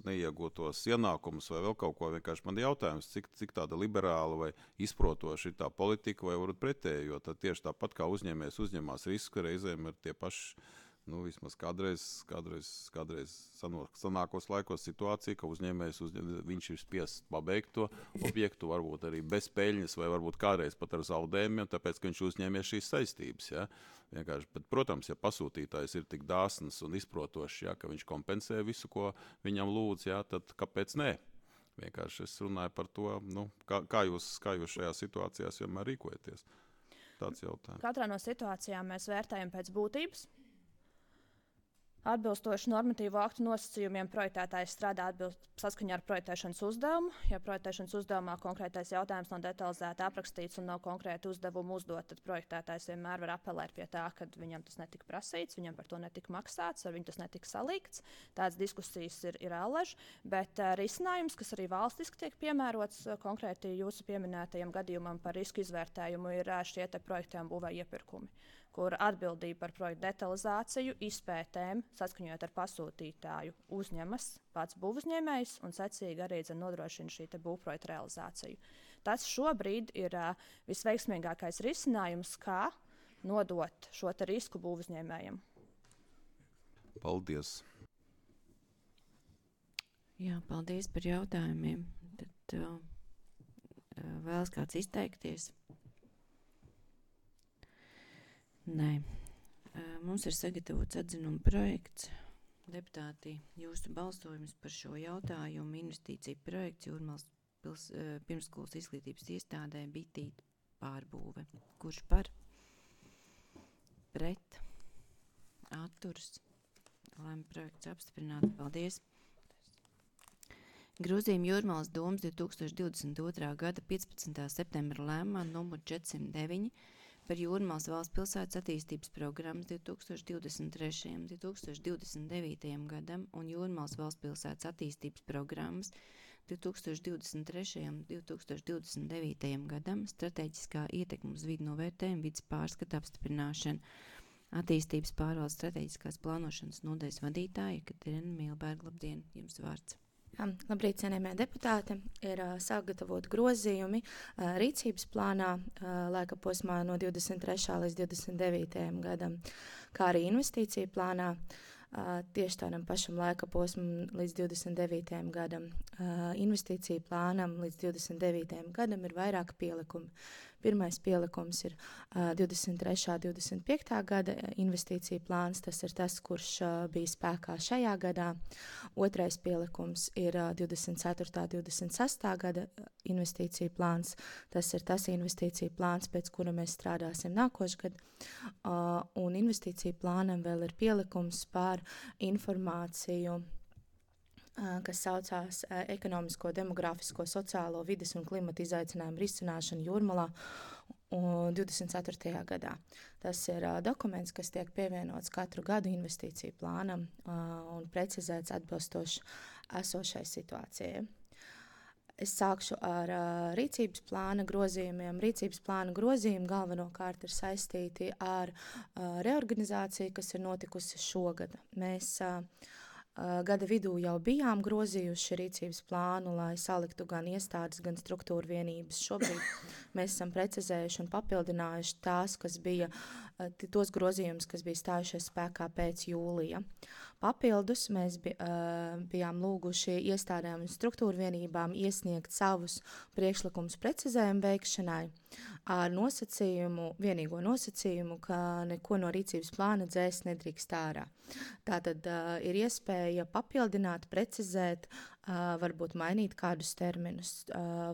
neiegūtos ienākumus vai vēl kaut ko vienkārši man jautājums, cik tāda liberāla vai izprotoša ir tā politika vai varbūt pretēji, jo tad tieši tāpat kā uzņēmējs uzņemās risku, reizēm ir tie paši, vismaz kādreiz sanākos laikos situācija, ka uzņēmējs viņš ir spiests pabeigt to objektu, varbūt arī bez peļņas vai varbūt kādreiz pat ar zaudējumiem, tāpēc, ka viņš uzņēmies šīs saistības. Ja? Vienkārši, bet, protams, ja pasūtītājs ir tik dāsns un izprotošs, ja, ka viņš kompensē visu, ko viņam lūdz, ja, tad kāpēc nē? Vienkārši es runāju par to, kā jūs šajā situācijās vienmēr rīkojaties. Tāds jautājums. Katrā no situācijām mēs vērtējam pēc būtības. Atbilstoši normatīvo aktu nosacījumiem projektētājs strādā saskaņā ar projektēšanas uzdevumu. Ja projektēšanas uzdevumā konkrētais jautājums nav detalizēti aprakstīts un nav konkrēti uzdevumi uzdot, tad projektētājs vienmēr var apelēt pie tā, ka viņam tas netika prasīts, viņam par to netika maksāts, ar viņu tas netika salīgts. Tādas diskusijas ir ālež, bet risinājums, kas arī valstiski tiek piemērots konkrēti jūsu pieminētajam gadījumam par risku izvērtējumu, ir šie te projekti un būvēja iepirkumi, kur atbildība par projektu detalizāciju, izpētēm, saskaņojot ar pasūtītāju, uzņemas pats būvuzņēmējs un secīgi arī nodrošina šī būvprojekta realizāciju. Tas šobrīd ir visveiksmīgākais risinājums, kā nodot šo risku būvuzņēmējiem. Paldies! Jā, paldies par jautājumiem. Tad vēlas kāds izteikties? Nē. Mums ir sagatavots atzinuma projekts. Deputāti, jūsu balsojums par šo jautājumu investīciju projekts Jūrmālas pirmsskolas izglītības iestādē Bitīte pārbūve. Kurš par? Pret? Atturs? Lēma projekts apstiprināt. Paldies. Grozījumi Jūrmālas domas 2022. gada 15. septembra lēmumā numur 409 par Jūrmālas valsts pilsētas attīstības programmas 2023. un 2029. gadam un Jūrmālas valsts pilsētas attīstības programmas 2023. un 2029. gadam strateģiskā ietekme uz vidu novērtējumu vides pārskata apstiprināšana. Attīstības pārvaldes strateģiskās plānošanas nodaļas vadītāja Katrina Milberga. Labdien, jums vārds. Labrīt, cienījamie deputāti. Ir sagatavoti grozījumi rīcības plānā laika posmā no 23. līdz 29. gadam, kā arī investīciju plānā tieši tādam pašam laika posmam līdz 29. gadam. Investīciju plānam līdz 29. gadam ir vairāki pielikumi. Pirmais pielikums ir 23. 25. gada investīcija plāns, tas ir tas, kurš bija spēkā šajā gadā. Otrais pielikums ir 24. 26. gada investīcija plāns, tas ir tas investīcija plāns, pēc kura mēs strādāsim nākošgad. Un investīcija plānam vēl ir pielikums par informāciju, kas saucās ekonomisko, demografisko, sociālo, vides un klimata izaicinājumu risināšanu Jūrmalā 24. gadā. Tas ir dokuments, kas tiek pievienots katru gadu investīciju plānam un precizēts atbilstoši esošai situācijai. Es sākšu ar rīcības plāna grozījumiem. Rīcības plāna grozījumi galvenokārt ir saistīti ar reorganizāciju, kas ir notikusi šogad. Mēs gada vidū jau bijām grozījuši rīcības plānu, lai saliktu gan iestādes, gan struktūra vienības. Šobrīd mēs esam precizējuši un papildinājuši tos grozījumus, kas bija stājušies spēkā pēc jūlija. Papildus mēs bijām lūguši iestādēm un struktūra vienībām iesniegt savus priekšlikumus precizējumu veikšanai ar vienīgo nosacījumu, ka neko no rīcības plāna dzēst nedrīkst ārā. Tātad ir iespēja papildināt, precizēt, varbūt mainīt kādus terminus.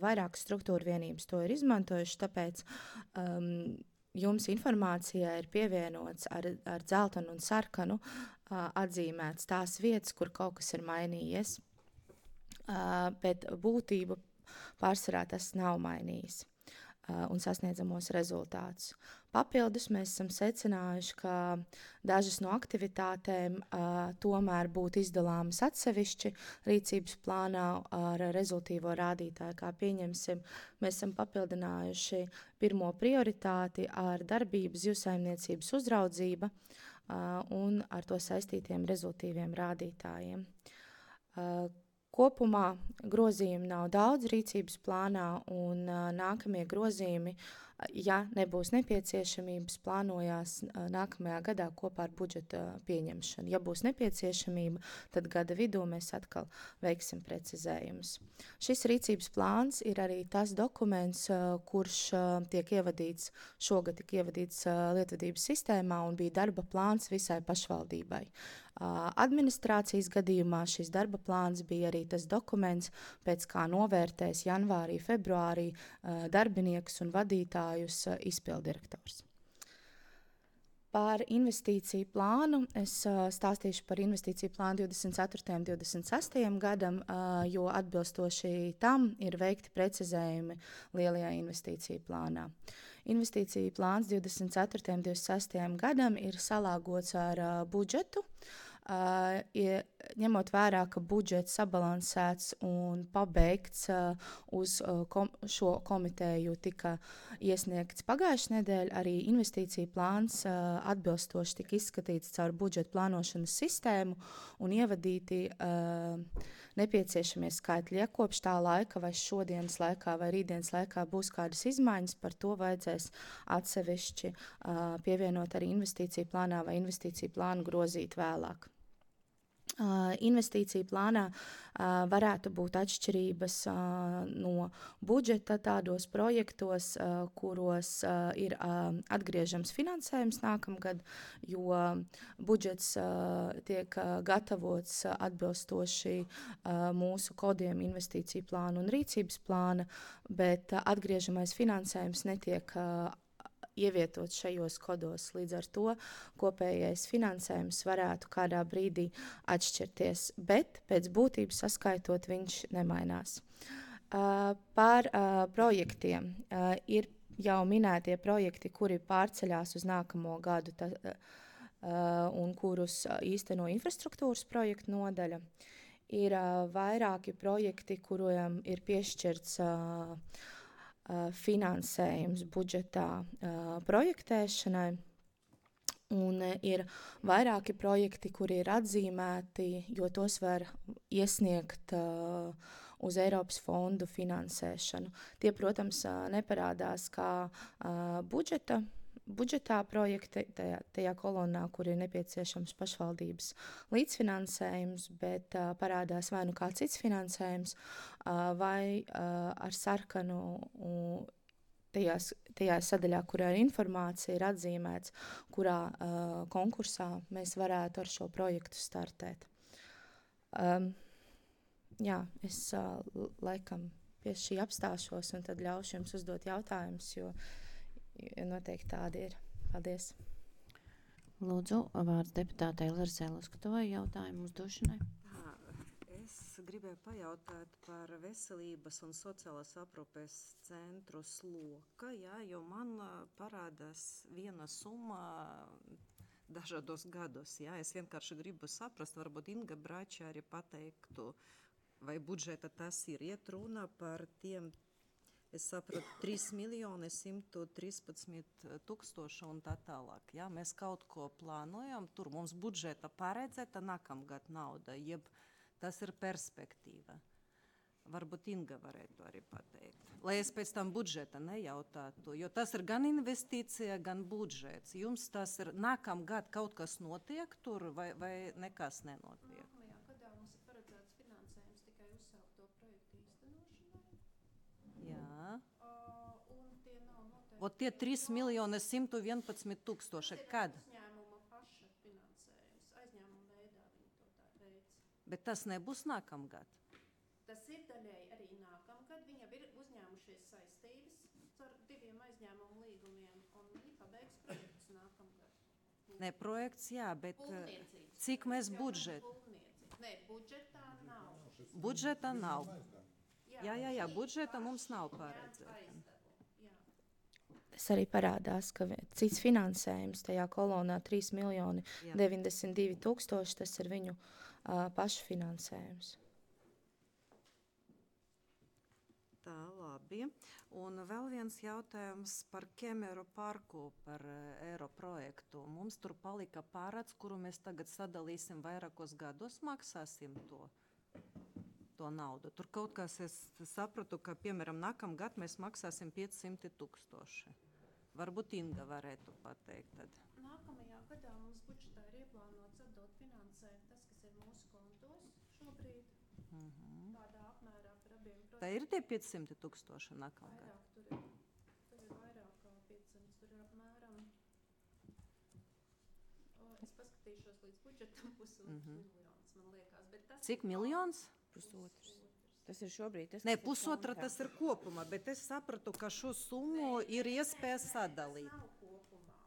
Vairākas struktūra vienības to ir izmantojuši, tāpēc jums informācijā ir pievienots ar dzeltenu un sarkanu atzīmēts tās vietas, kur kaut kas ir mainījies, bet būtību pārsvarā tas nav mainījis un sasniedzamos rezultātus. Papildus mēs esam secinājuši, ka dažas no aktivitātēm tomēr būtu izdalāmas atsevišķi rīcības plānā ar rezultīvo rādītāju. Kā pieņemsim, mēs esam papildinājuši pirmo prioritāti ar darbību zivsaimniecības uzraudzība un ar to saistītiem rezultīviem rādītājiem. Kopumā grozījumi nav daudz rīcības plānā, un nākamie grozījumi, ja nebūs nepieciešamības, plānojās nākamajā gadā kopā ar budžeta pieņemšanu. Ja būs nepieciešamība, tad gada vidū mēs atkal veiksim precizējumus. Šis rīcības plāns ir arī tas dokuments, kurš šogad tika ievadīts lietvedības sistēmā un bija darba plāns visai pašvaldībai. Administrācijas gadījumā šis darba plāns bija arī tas dokuments, pēc kā novērtēs janvārī, februārī darbinieks un vadītājus izpildirektors. Par investīciju plānu es stāstīšu par investīciju plānu 24. un 26. gadam, jo atbilstoši tam ir veikti precizējumi lielajā investīciju plānā. Investīciju plāns 24. un 26. gadam ir salāgots ar budžetu, ņemot vērā, ka budžets sabalansēts un pabeigts uz šo komiteju tika iesniegts pagājušajā nedēļā, arī investīcija plāns atbilstoši tika izskatīts caur budžeta plānošanas sistēmu un ievadīti nepieciešamie skaitļi. Ja kopš tā laika vai šodienas laikā vai rītdienas laikā būs kādas izmaiņas, par to vajadzēs atsevišķi pievienot arī investīciju plānā vai investīciju plānu grozīt vēlāk. Investīciju plānā varētu būt atšķirības no budžeta tādos projektos, kuros ir atgriežams finansējums nākamgad, jo budžets tiek gatavots atbilstoši mūsu kodiem investīciju plānu un rīcības plāna, bet atgriežamais finansējums netiek ievietots šajos kodos. Līdz ar to kopējais finansējums varētu kādā brīdī atšķirties, bet pēc būtības saskaitot viņš nemainās. Par projektiem. Ir jau minētie projekti, kuri pārceļās uz nākamo gadu un kurus īsteno infrastruktūras projektu nodaļa. Ir vairāki projekti, kuriem ir piešķirts finansējums budžetā projektēšanai, un ir vairāki projekti, kuri ir atzīmēti, jo tos var iesniegt uz Eiropas fondu finansēšanu. Tie, protams, neparādās kā budžetā projekti, tajā kolonā, kur ir nepieciešams pašvaldības līdzfinansējums, bet parādās vai nu kā cits finansējums, vai ar sarkanu tajā sadaļā, kurā ir informācija, ir atzīmēts, kurā konkursā mēs varētu ar šo projektu startēt. Es laikam pie šī apstāšos un tad ļaušu jums uzdot jautājumus, jo noteikti tādi ir. Paldies. Lūdzu, vārds deputātei Larsē Luskatovai jautājumu uzdošanai. Es gribēju pajautāt par veselības un sociālās aprūpes centru sloka, jā, jo man parādās viena summa dažādos gados. Jā. Es vienkārši gribu saprast, varbūt Inga Brača arī pateiktu, vai budžeta tas ir iet runa par tiem, es sapratu, 3.113.000 un tā tālāk. Jā. Mēs kaut ko plānojam, tur mums budžeta paredzēta nākamgad nauda, jeb tas ir perspektīva. Varbūt Inga varētu arī pateikt. Lai es pēc tam budžeta nejautātu, jo tas ir gan investīcija, gan budžets. Jums tas ir nākamgad kaut kas notiek tur vai nekas nenotiek? Nākamajā gadā mums ir paredzēts finansējums tikai uzsākto projektu īstenošanai. Jā. Un tie nav noteikti. Ot tie 3.111.000, kad? Uzņēmuma paša finansējums. Aizņēmuma veidā viņi to tā veic. Bet tas nebūs nākamgad. Tas ir daļēji arī nākamgad. Viņi jau ir uzņēmušies saistības ar 2 aizņēmumu līgumiem, un viņi pabeigs projektus nākamgad. Ne projekts, jā, bet Būvniecības. cik mēs budžetu? Nē, budžetā nav. Budžeta nav. Jā, budžeta mums nav Jā, paredzēta. aizdevumu, jā. Tas arī parādās, ka cits finansējums tajā kolonā 3.092.000, tas ir viņu pašu finansējums. Tā, labi. Un vēl viens jautājums par Kemeru parku, par eiro projektu. Mums tur palika pārāds, kuru mēs tagad sadalīsim vairākos gados, maksāsim to naudu. Tur kaut kas es sapratu, ka, piemēram, nākamgad mēs maksāsim 500.000. Varbūt Inga varētu pateikt tad. Nākamajā gadā mums budžetā ir ieplānots atdot finansējumu tas, kas ir mūsu kontos šobrīd. Tādā apmērā par abiem Tā projektiem. ir tie 500.000 nākamgad? Vairāk tur ir vairāk kā 500, tur ir apmēram. Es paskatīšos līdz budžetam miljonus, man liekas. Bet tas Cik miljons? Pusotrs. Tas ir šobrīd. Tas, Nē, kas ir pusotra kontā. tas ir kopumā, bet es sapratu, ka šo summu ir iespēja sadalīt. Tas nav kopumā.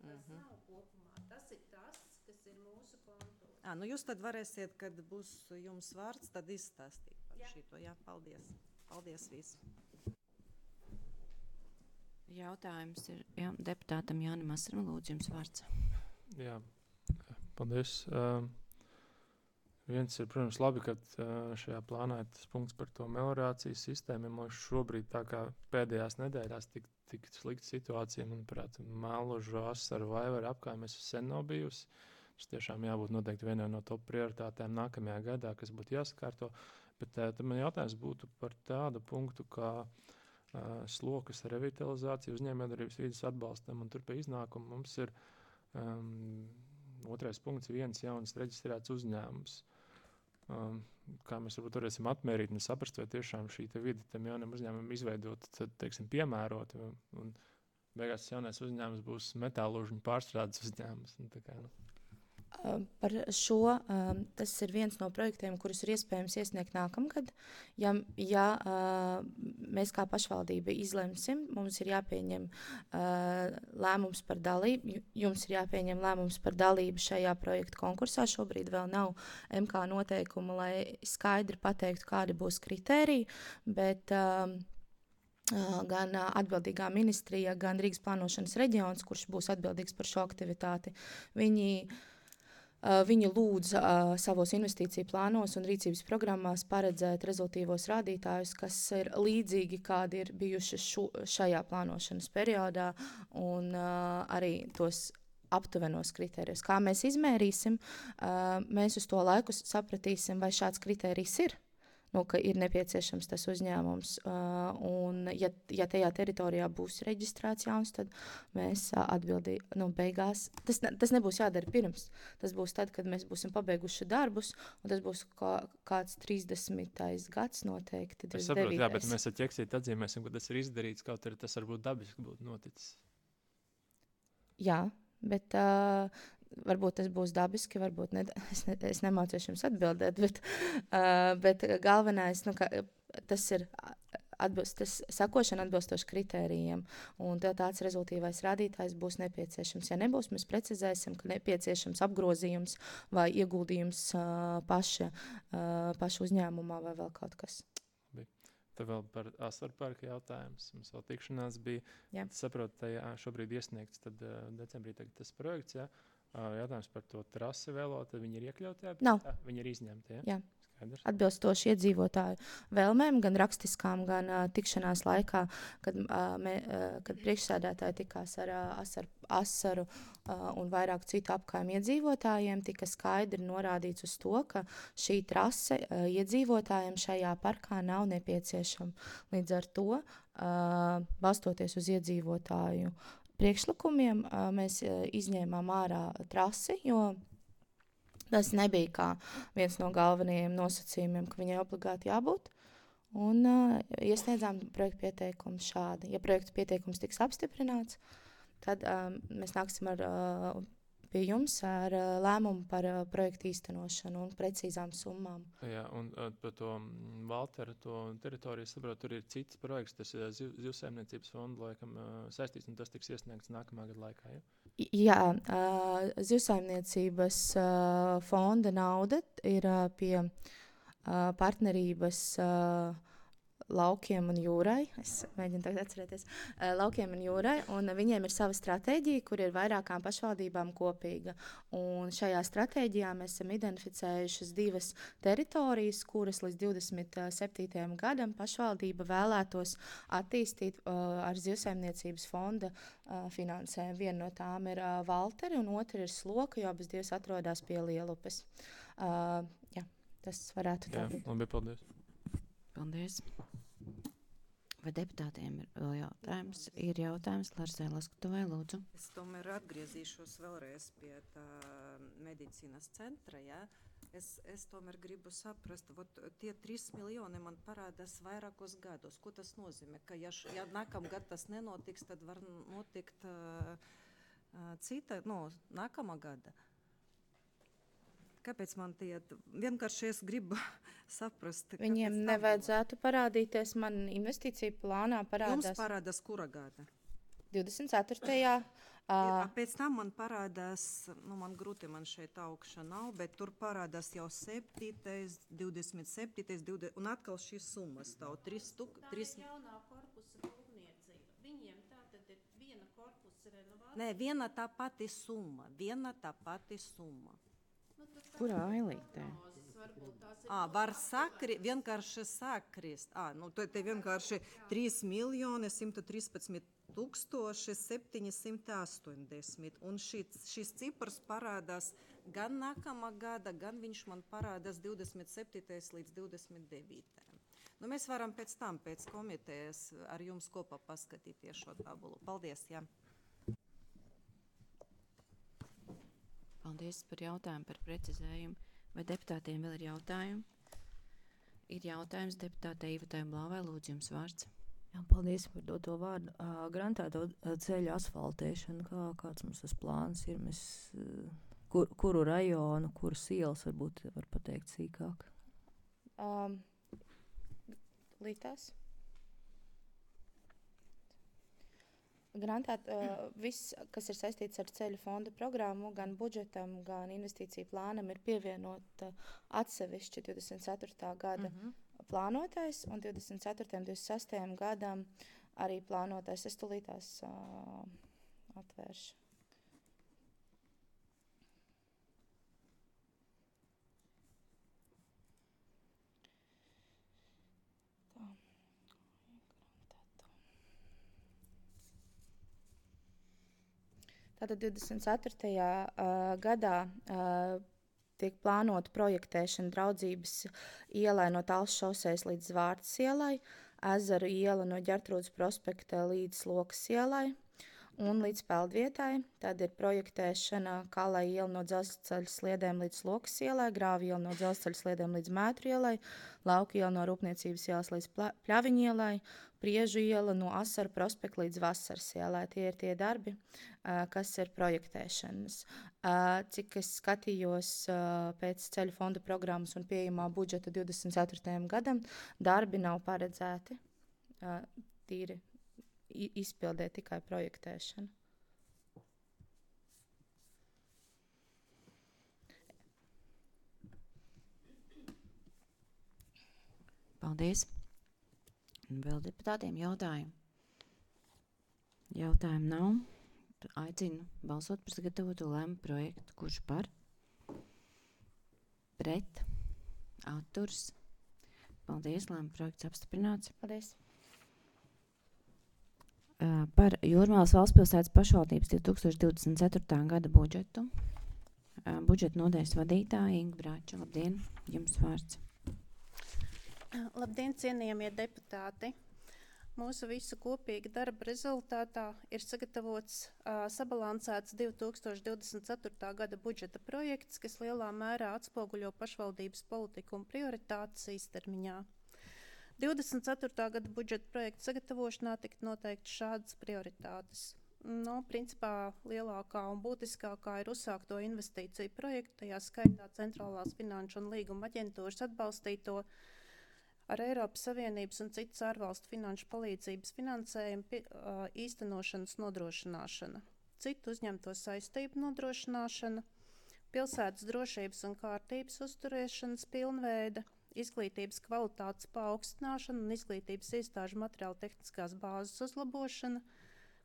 Tas nav kopumā. Tas ir tas, kas ir mūsu kontos. Nu jūs tad varēsiet, kad būs jums vārds, tad izstāstīt par Jā. šito. Jā, paldies. Paldies viss. Jautājums ir deputātam Jānim Asram, lūdzu jums vārds. Jā, paldies. Viens ir, protams, labi, ka šajā plānā ir tas punkts par to meliorācijas sistēmu. Man šobrīd tā kā pēdējās nedēļās tik slikta situācija, manuprāt, Mēlužu, Asaru, Vaivaru apkaimēs sen nav bijusi. Tas tiešām jābūt noteikti vienai no top prioritātēm nākamajā gadā, kas būtu jāsakārto. Bet tad man jautājums būtu par tādu punktu, kā slokas revitalizācija, uzņēmējdarbības vides atbalstam, un tur pie iznākuma mums ir otrais punkts, viens jauns reģistrēts uzņēmums. Kā mēs varbūt varēsim atmērīt un saprast, vai tiešām šī vide tam jaunam uzņēmumam izveidot, tad, teiksim, piemērot, un beigās jaunais uzņēmums būs metālužņu pārstrādes uzņēmums. Un tā kā, Par šo tas ir viens no projektiem, kurus ir iespējams iesniegt nākamgad. Ja mēs kā pašvaldība izlemsim, mums ir jāpieņem lēmums par dalību. Jums ir jāpieņem lēmums par dalību šajā projektu konkursā. Šobrīd vēl nav MK noteikuma, lai skaidri pateiktu, kādi būs kritēriji, bet gan atbildīgā ministrija, gan Rīgas plānošanas reģions, kurš būs atbildīgs par šo aktivitāti, Viņi lūdz savos investīciju plānos un rīcības programmās paredzēt rezultīvos rādītājus, kas ir līdzīgi, kādi ir bijuši šajā plānošanas periodā, un arī tos aptuvenos kritērijus. Kā mēs izmērīsim, mēs uz to laiku sapratīsim, vai šāds kritērijs ir. Ka ir nepieciešams tas uzņēmums. Un, ja tajā teritorijā būs reģistrēts jauns, tad mēs beigās. Tas nebūs jādara pirms. Tas būs tad, kad mēs būsim pabeiguši darbus, un tas būs kāds 30. gads noteikti. Es saprotu, jā, bet mēs ar ķeksīti atzīmēsim, ka tas ir izdarīts, kaut arī tas varbūt dabiski būtu noticis. Jā, bet varbūt tas būs dabiski, varbūt ne. Es nemācīšu jums atbildēt, bet galvenais, tas ir sakošana atbilstoši kritērijiem, un tāds rezultīvais rādītājs būs nepieciešams. Ja nebūs, mēs precizēsim, ka nepieciešams apgrozījums vai ieguldījums paša uzņēmumā vai vēl kaut kas. Tad vēl par Asaru parka jautājums. Mums vēl tikšanās bija. Jā. Saprotu, ka šobrīd iesniegts tad, decembrī tas projekts. Ja? Jautājums par to trasi vēlo, tad viņi ir iekļauti? Nav. Viņi ir izņemti, ja? Jā. Skaidrs. Atbilstoši iedzīvotāju vēlmēm, gan rakstiskām, gan tikšanās laikā, kad priekšsēdētāji tikās ar Asaru un vairāk citu apkaimju iedzīvotājiem, tika skaidri norādīts uz to, ka šī trase iedzīvotājiem šajā parkā nav nepieciešama. Līdz ar to, balstoties uz iedzīvotāju priekšlikumiem, mēs izņēmām ārā trasi, jo tas nebija kā viens no galvenajiem nosacījumiem, ka viņai obligāti jābūt. Un iesniedzām projektu pieteikumu šādi. Ja projektu pieteikums tiks apstiprināts, tad mēs nāksim pie jums ar lēmumu par projektu īstenošanu un precīzām summām. Jā, un par to Valtera teritoriju, saprotu, tur ir cits projekts, tas ir Zivsaimniecības fonda laikam saistīts, un tas tiks iesniegts nākamā gada laikā, ja? Jā, Zivsaimniecības fonda nauda ir pie partnerības Laukiem un jūrai. Es mēģinu tagad atcerēties. Laukiem un jūrai, un viņiem ir sava stratēģija, kur ir vairākām pašvaldībām kopīga. Un šajā stratēģijā mēs esam identificējušas 2 teritorijas, kuras līdz 27. gadam pašvaldība vēlētos attīstīt ar Zivsaimniecības fonda finansējumu. Viena no tām ir Valteri, un otra ir Sloka, jo abas divas atrodas pie Lielupes. Jā, tas varētu tā būt. Labi, paldies. Paldies. Vai deputātiem ir vēl jautājums? Ir jautājums Larsai Laskutuvai, lūdzu. Es tomēr atgriezīšos vēlreiz pie tā medicīnas centra. Ja? Es tomēr gribu saprast, tie 3 miljoni man parādās vairākos gados. Ko tas nozīmē? Ka ja nākamgad tas nenotiks, tad var notikt cita, nākamā gada. Kāpēc man tie vienkārši es gribu saprast? Viņiem nevajadzētu parādīties, man investīcija plānā parādās. Jums parādās kura gada? 24. Pēc tam man parādās, man grūti man šeit augša nav, bet tur parādās jau 7., 27., 20, un atkal šīs summas stāv 3 stūk. Tā ir jaunā korpusa būvniecība. Viņiem tā tad ir viena korpusa renovācija. Nē, viena tā pati summa. Kurā ailītē? Var vienkārši sakrist. Te vienkārši 3 miljoni 113 780. Un šis cipars parādās gan nākamā gada, gan viņš man parādās 27. līdz 29. Mēs varam pēc tam, pēc komitejas ar jums kopā paskatīties šo tabulu. Paldies, jā. Paldies par jautājumu, par precizējumu. Vai deputātiem vēl ir jautājumi? Ir jautājums deputātei Ivatai Blāvai. Lūdzu, jums vārds. Jā, paldies par doto vārdu. Grantēto ceļu asfaltēšanu, kāds mums tas plāns ir? Kuru rajonu, kuras ielas varbūt var pateikt sīkāk? Lītās. Grantēt, viss, kas ir saistīts ar ceļu fonda programmu, gan budžetam, gan investīciju plānam, ir pievienot atsevišķi 24. gada plānotais, un 24. un 26. gadam arī plānotais. Es tulītās atvēršu. Tātad 24. Gadā tiek plānota projektēšana Draudzības ielai no Talsu šosejas līdz Zvārtas ielai, Ezeru iela no Ģertrūdes prospekta līdz Lokas ielai un līdz Peldvietai. Tad ir projektēšana Kalai iela no Dzelzceļa sliedēm līdz Lokas ielai, Grāvi iela no Dzelzceļa sliedēm līdz Mētru ielai, Lauka iela no Rūpniecības ielas līdz Pļaviņu ielai, Priežu iela no Asaru prospekta līdz Vasaras ielai. Tie ir tie darbi, kas ir projektēšanas. Cik es skatījos pēc ceļu fonda programmas un pieejamā budžeta 24. gadam, darbi nav paredzēti tīri izpildē tikai projektēšanu. Paldies. Vēl deputātiem jautājumu? Jautājumu nav. Aicinu balsot par sagatavoto lēmumu projektu. Kurš par? Pret? Atturs? Paldies, lēmumu projekts apstiprināts. Paldies. Par Jūrmālas valstspilsētas pašvaldības 2024. gada budžetu. Budžeta nodaļas vadītāja Inga Brāča. Labdien, jums vārds. Labdien, cienījamie deputāti! Mūsu visu kopīga darba rezultātā ir sagatavots sabalansēts 2024. gada budžeta projekts, kas lielā mērā atspoguļo pašvaldības politiku un prioritātes īstermiņā. 24. gada budžeta projekta sagatavošanā tika noteikti šādas prioritātes. Principā lielākā un būtiskākā ir uzsākto investīciju projektu, tajā skaitā Centrālās finanšu un līguma aģentūras atbalstīto ar Eiropas Savienības un citas ārvalstu finanšu palīdzības finansējumu īstenošanas nodrošināšana, citu uzņemto saistību nodrošināšana, pilsētas drošības un kārtības uzturēšanas pilnveida, izglītības kvalitātes paaugstināšana un izglītības iestāžu materiāla tehniskās bāzes uzlabošana,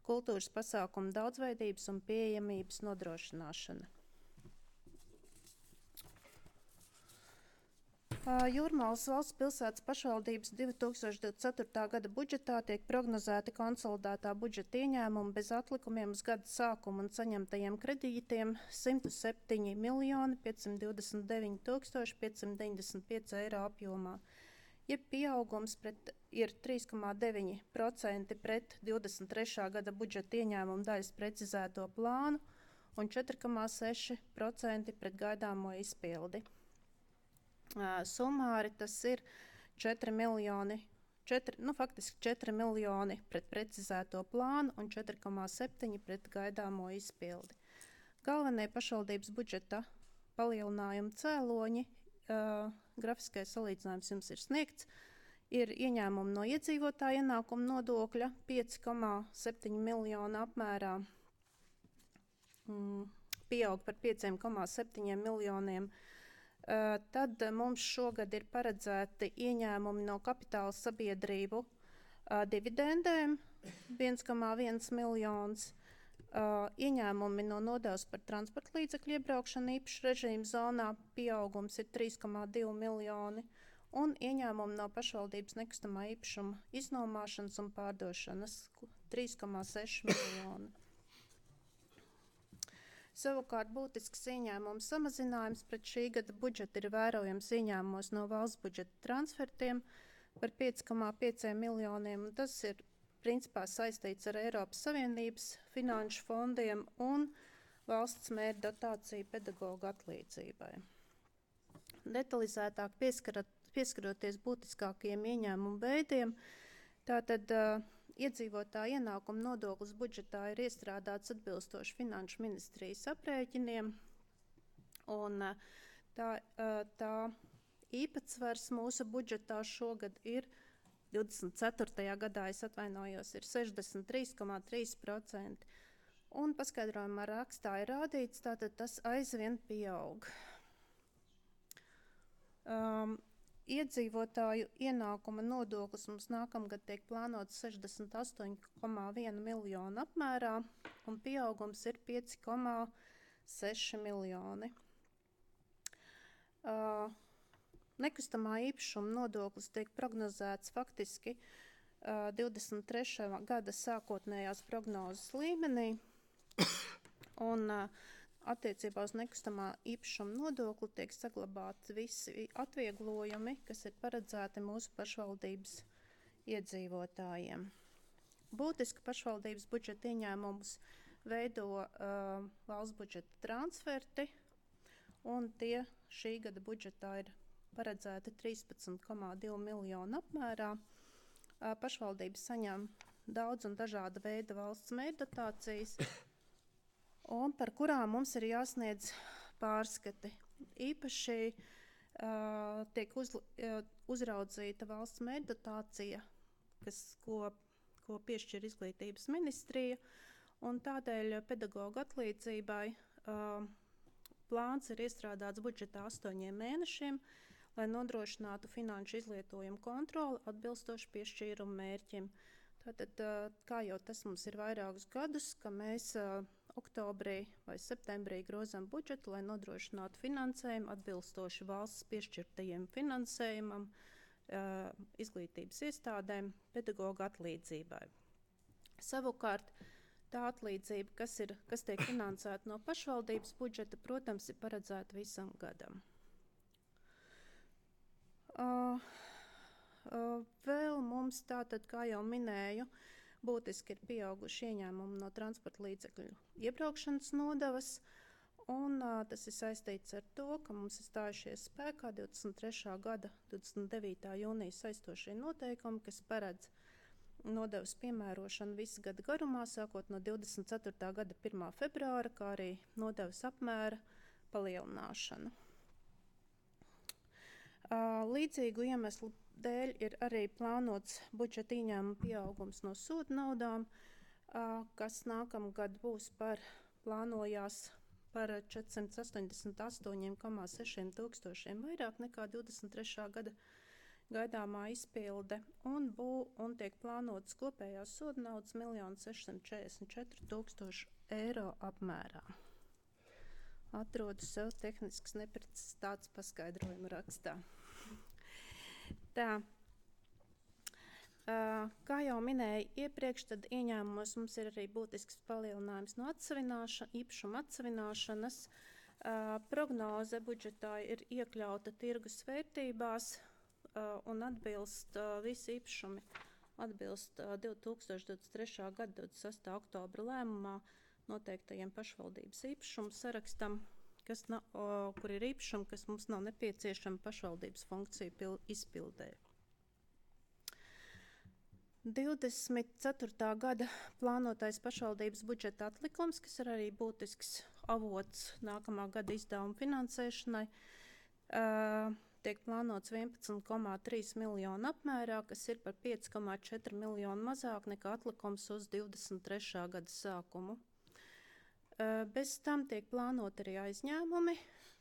kultūras pasākumu daudzveidības un pieejamības nodrošināšana. Jūrmālas valsts pilsētas pašvaldības 2024. gada budžetā tiek prognozēti konsolidētā budžeta ieņēmumi bez atlikumiem uz gada sākumu un saņemtajiem kredītiem 107 529 595 eiro apjomā. Jeb pieaugums ir 3,9% pret 23. gada budžeta ieņēmumu daļas precizēto plānu un 4,6% pret gaidāmo izpildi. Summāri tas ir 4 miljoni pret precizēto plānu un 4,7 pret gaidāmo izpildi. Galvenie pašvaldības budžeta palielinājuma cēloņi, grafiskais salīdzinājums jums ir sniegts, ir ieņēmumi no iedzīvotāja ienākuma nodokļa 5,7 miljonu apmērā, pieaug par 5,7 miljoniem. Tad mums šogad ir paredzēti ieņēmumi no kapitāla sabiedrību dividendēm 1,1 miljons, ieņēmumi no nodevas par transporta līdzekļu iebraukšanu īpašu režīmu zonā pieaugums ir 3,2 miljoni un ieņēmumi no pašvaldības nekustamā īpašuma iznomāšanas un pārdošanas 3,6 miljoni. Savukārt būtisks ieņēmums samazinājums pret šī gada budžeta ir vērojams ieņēmumos no valsts budžeta transfertiem par 5,5 miljoniem, un tas ir principā saistīts ar Eiropas Savienības finanšu fondiem un valsts mērķa dotāciju pedagoģu atlīdzībai. Detalizētāk pieskaroties būtiskākajiem ieņēmumu veidiem, tātad iedzīvotāja ienākuma nodoklis budžetā ir iestrādāts atbilstoši Finanšu ministrijas aprēķiniem, un tā īpatsvars mūsu budžetā šogad ir 24. gadā, ir 63,3%, un paskaidrojumā rakstā ir rādīts, tātad tas aizvien pieaug. Iedzīvotāju ienākuma nodoklis mums nākamgad tiek plānots 68,1 miljonu apmērā, un pieaugums ir 5,6 miljoni. Nekustamā īpašuma nodoklis tiek prognozēts faktiski 23. gada sākotnējās prognozes līmenī, un attiecībā uz nekustamā īpašuma nodokli tiek saglabāti visi atvieglojumi, kas ir paredzēti mūsu pašvaldības iedzīvotājiem. Būtiski pašvaldības budžeta ieņēmumus veido valsts budžeta transferti, un tie šī gada budžetā ir paredzēti 13,2 miljonu apmērā. Pašvaldības saņem daudz un dažāda veida valsts mērķdotācijas, un par kurām mums ir jāsniedz pārskati. Īpaši tiek uzraudzīta valsts mērķdotācija, ko piešķir Izglītības ministrija. Un tādēļ pedagoģa atlīdzībai plāns ir iestrādāts budžetā 8 mēnešiem, lai nodrošinātu finanšu izlietojumu kontroli atbilstoši piešķīrumu mērķim. Tātad, kā jau tas mums ir vairākus gadus, ka mēs oktobrī vai septembrī grozam budžetu, lai nodrošinātu finansējumu atbilstoši valsts piešķirtajiem finansējumam, izglītības iestādēm, pedagoģa atlīdzībai. Savukārt, tā atlīdzība, kas tiek finansēta no pašvaldības budžeta, protams, ir paredzēta visam gadam. Vēl mums tātad, kā jau minēju, būtiski ir pieauguši ieņēmumi no transporta līdzekļu iebraukšanas nodevas, un tas ir saistīts ar to, ka mums ir stājušies spēkā 23. gada 29. jūnija saistošie noteikumi, kas paredz nodevas piemērošanu visu gadu garumā, sākot no 24. gada 1. februāra, kā arī nodevas apmēra palielināšanu. Līdzīgu iemeslu dēļ ir arī plānots budžeta ieņēmuma pieaugums no sodu naudām, kas nākamgad būs plānojās par 488,6 tūkstošiem vairāk nekā 23. gada gaidāmā izpilde, un tiek plānotas kopējās sodu naudas 1 644 000 eiro apmērā. Atrodu sev tehniskas neprecizitātes paskaidrojumu rakstā. Tā, kā jau minēju iepriekš, tad ieņēmumos mums ir arī būtisks palielinājums no īpašuma atsevināšanas. Prognoze budžetā ir iekļauta tirgus vērtībās un atbilst visi īpašumi atbilst 2023. gada 26. oktobra lēmumā noteiktajiem pašvaldības īpašumu sarakstam, kur ir īpašumi, kas mums nav nepieciešama pašvaldības funkciju izpildē. 24. gada plānotais pašvaldības budžeta atlikums, kas ir arī būtisks avots nākamā gada izdevuma finansēšanai, tiek plānots 11,3 miljonu apmērā, kas ir par 5,4 miljonu mazāk nekā atlikums uz 23. gada sākumu. Bez tam tiek plānot arī aizņēmumi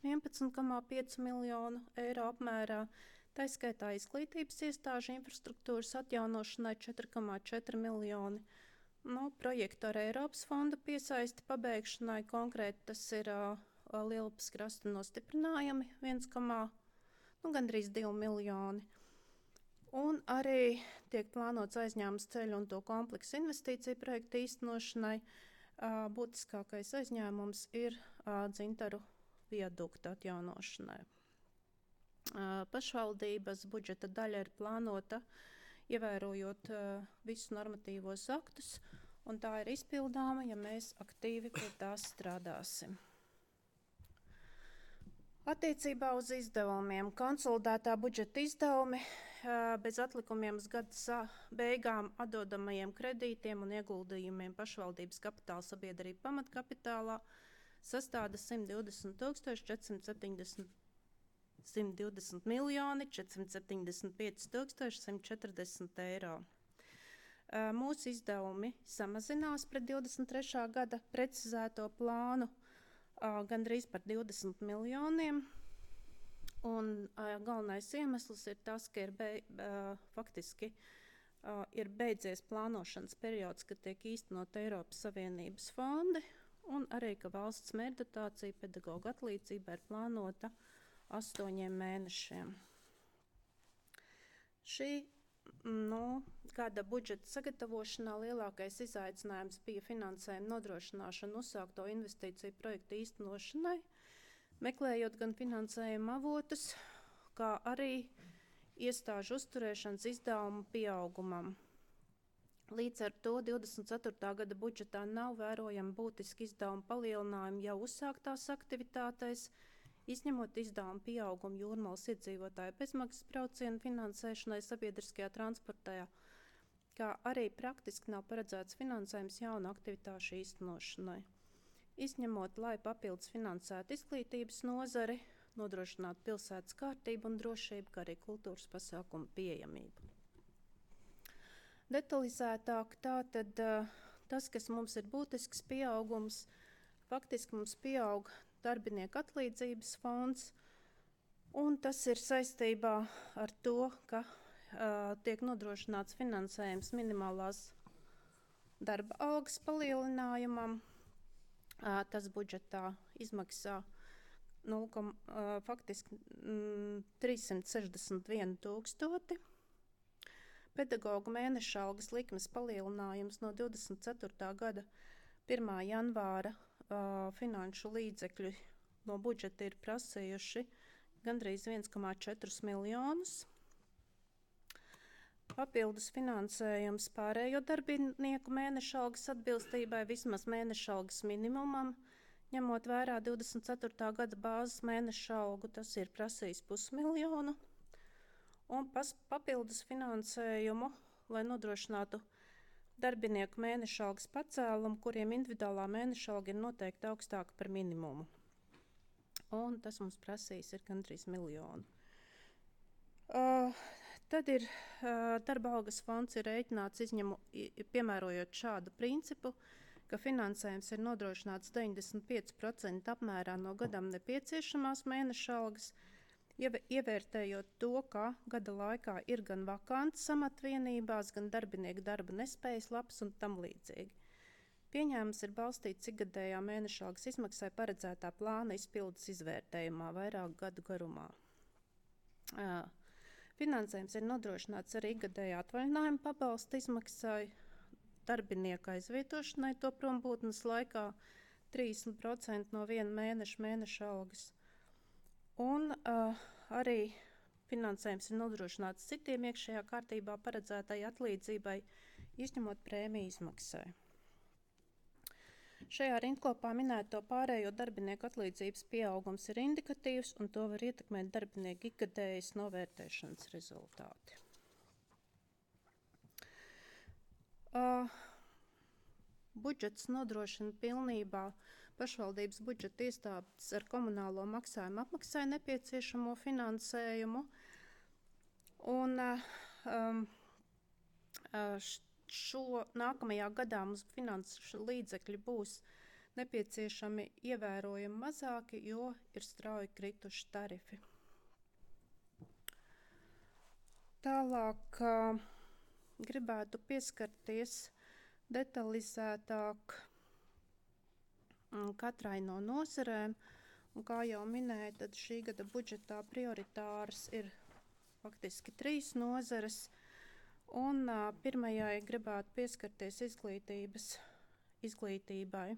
11,5 miljonu eiro apmērā, tā skaitā izglītības iestāžu infrastruktūras atjaunošanai 4,4 miljoni. Projektu ar Eiropas fonda piesaisti pabeigšanai, konkrēti tas ir Lielupes krasta nostiprinājumi gandrīz 2 miljoni. Un arī tiek plānots aizņēmums ceļu un to kompleksu investīciju projektu īstenošanai. Būtiskākais aizņēmums ir Dzintaru viadukta atjaunošanai. Pašvaldības budžeta daļa ir plānota, ievērojot visus normatīvos aktus, un tā ir izpildāma, ja mēs aktīvi pie tās strādāsim. Attiecībā uz izdevumiem. Konsolidētā budžeta izdevumi bez atlikumiem uz gada beigām atdodamajiem kredītiem un ieguldījumiem pašvaldības kapitāla sabiedrība pamatkapitālā sastāda 120 miljoni 475 140 eiro. Mūsu izdevumi samazinās pret 23. gada precizēto plānu gandrīz par 20 miljoniem. Un galvenais iemesls ir tas, ka faktiski ir beidzies plānošanas periods, kad tiek īstenot Eiropas Savienības fondi, un arī, ka valsts mērķdotācija pedagoģa atlīdzība ir plānota 8 mēnešiem. Šī gada budžeta sagatavošanā lielākais izaicinājums bija finansējuma nodrošināšana uzsākto investīciju projektu īstenošanai, meklējot gan finansējuma avotus, kā arī iestāžu uzturēšanas izdevumu pieaugumam. Līdz ar to 24. gada budžetā nav vērojama būtiska izdevuma palielinājuma jau uzsāktās aktivitātēs, izņemot izdevumu pieaugumu Jūrmalas iedzīvotāju bezmaksas braucienu finansēšanai sabiedriskajā transportā, kā arī praktiski nav paredzēts finansējums jaunu aktivitāšu īstenošanai. Izņemot, lai papildus finansētu izglītības nozari, nodrošinātu pilsētas kārtību un drošību, kā arī kultūras pasākumu pieejamību. Detalizētāk tātad tas, kas mums ir būtisks pieaugums, faktiski mums pieaug darbinieku atlīdzības fonds, un tas ir saistībā ar to, ka tiek nodrošināts finansējums minimālās darba algas palielinājumam. Tas budžetā izmaksā faktiski 361 000. Pedagogu mēneša algas likmes palielinājums no 24. gada 1. janvāra finanšu līdzekļu no budžeta ir prasījuši gandrīz 1,4 miljonus. Papildus finansējums pārējo darbinieku mēneša algas atbilstībai vismaz mēneša algas minimumam, ņemot vērā 24. gada bāzes mēneša algu, tas ir prasījis 500 000. Un papildus finansējumu, lai nodrošinātu darbinieku mēneša algas pacēlumu, kuriem individuālā mēneša alga ir noteikti augstāka par minimumu. Un tas mums prasīs ir gandrīz 1 miljonu. Tad ir darba algas fonds ir rēķināts piemērojot šādu principu, ka finansējums ir nodrošināts 95% apmērā no gadam nepieciešamās mēneša algas, ievērtējot to, ka gada laikā ir gan vakants amatvienībās, gan darbinieku darba nespējas labs un tam līdzīgi. Pieņēmums ir balstīts ikgadējā mēneša algas izmaksai paredzētā plāna izpildes izvērtējumā vairāku gadu garumā. Finansējums ir nodrošināts arī ikgadējā atvaļinājuma pabalsta izmaksai, darbinieka aizvietošanai to prombūtnes laikā 30% no viena mēneša algas. Un arī finansējums ir nodrošināts citiem iekšējā kārtībā paredzētai atlīdzībai, izņemot prēmiju izmaksai. Šajā rindkopā minēto pārējo darbinieku atlīdzības pieaugums ir indikatīvs, un to var ietekmēt darbinieku ikgadējas novērtēšanas rezultāti. Budžets nodrošina pilnībā pašvaldības budžeta iestādes ar komunālo maksājumu apmaksai nepieciešamo finansējumu. Un nākamajā gadā mums finanšu līdzekļi būs nepieciešami ievērojami mazāki, jo ir strauji krituši tarifi. Tālāk gribētu pieskarties detalizētāk katrai no nozarēm. Un kā jau minēju, tad šī gada budžetā prioritāras ir faktiski 3 nozares. Un pirmajai gribētu pieskarties izglītībai.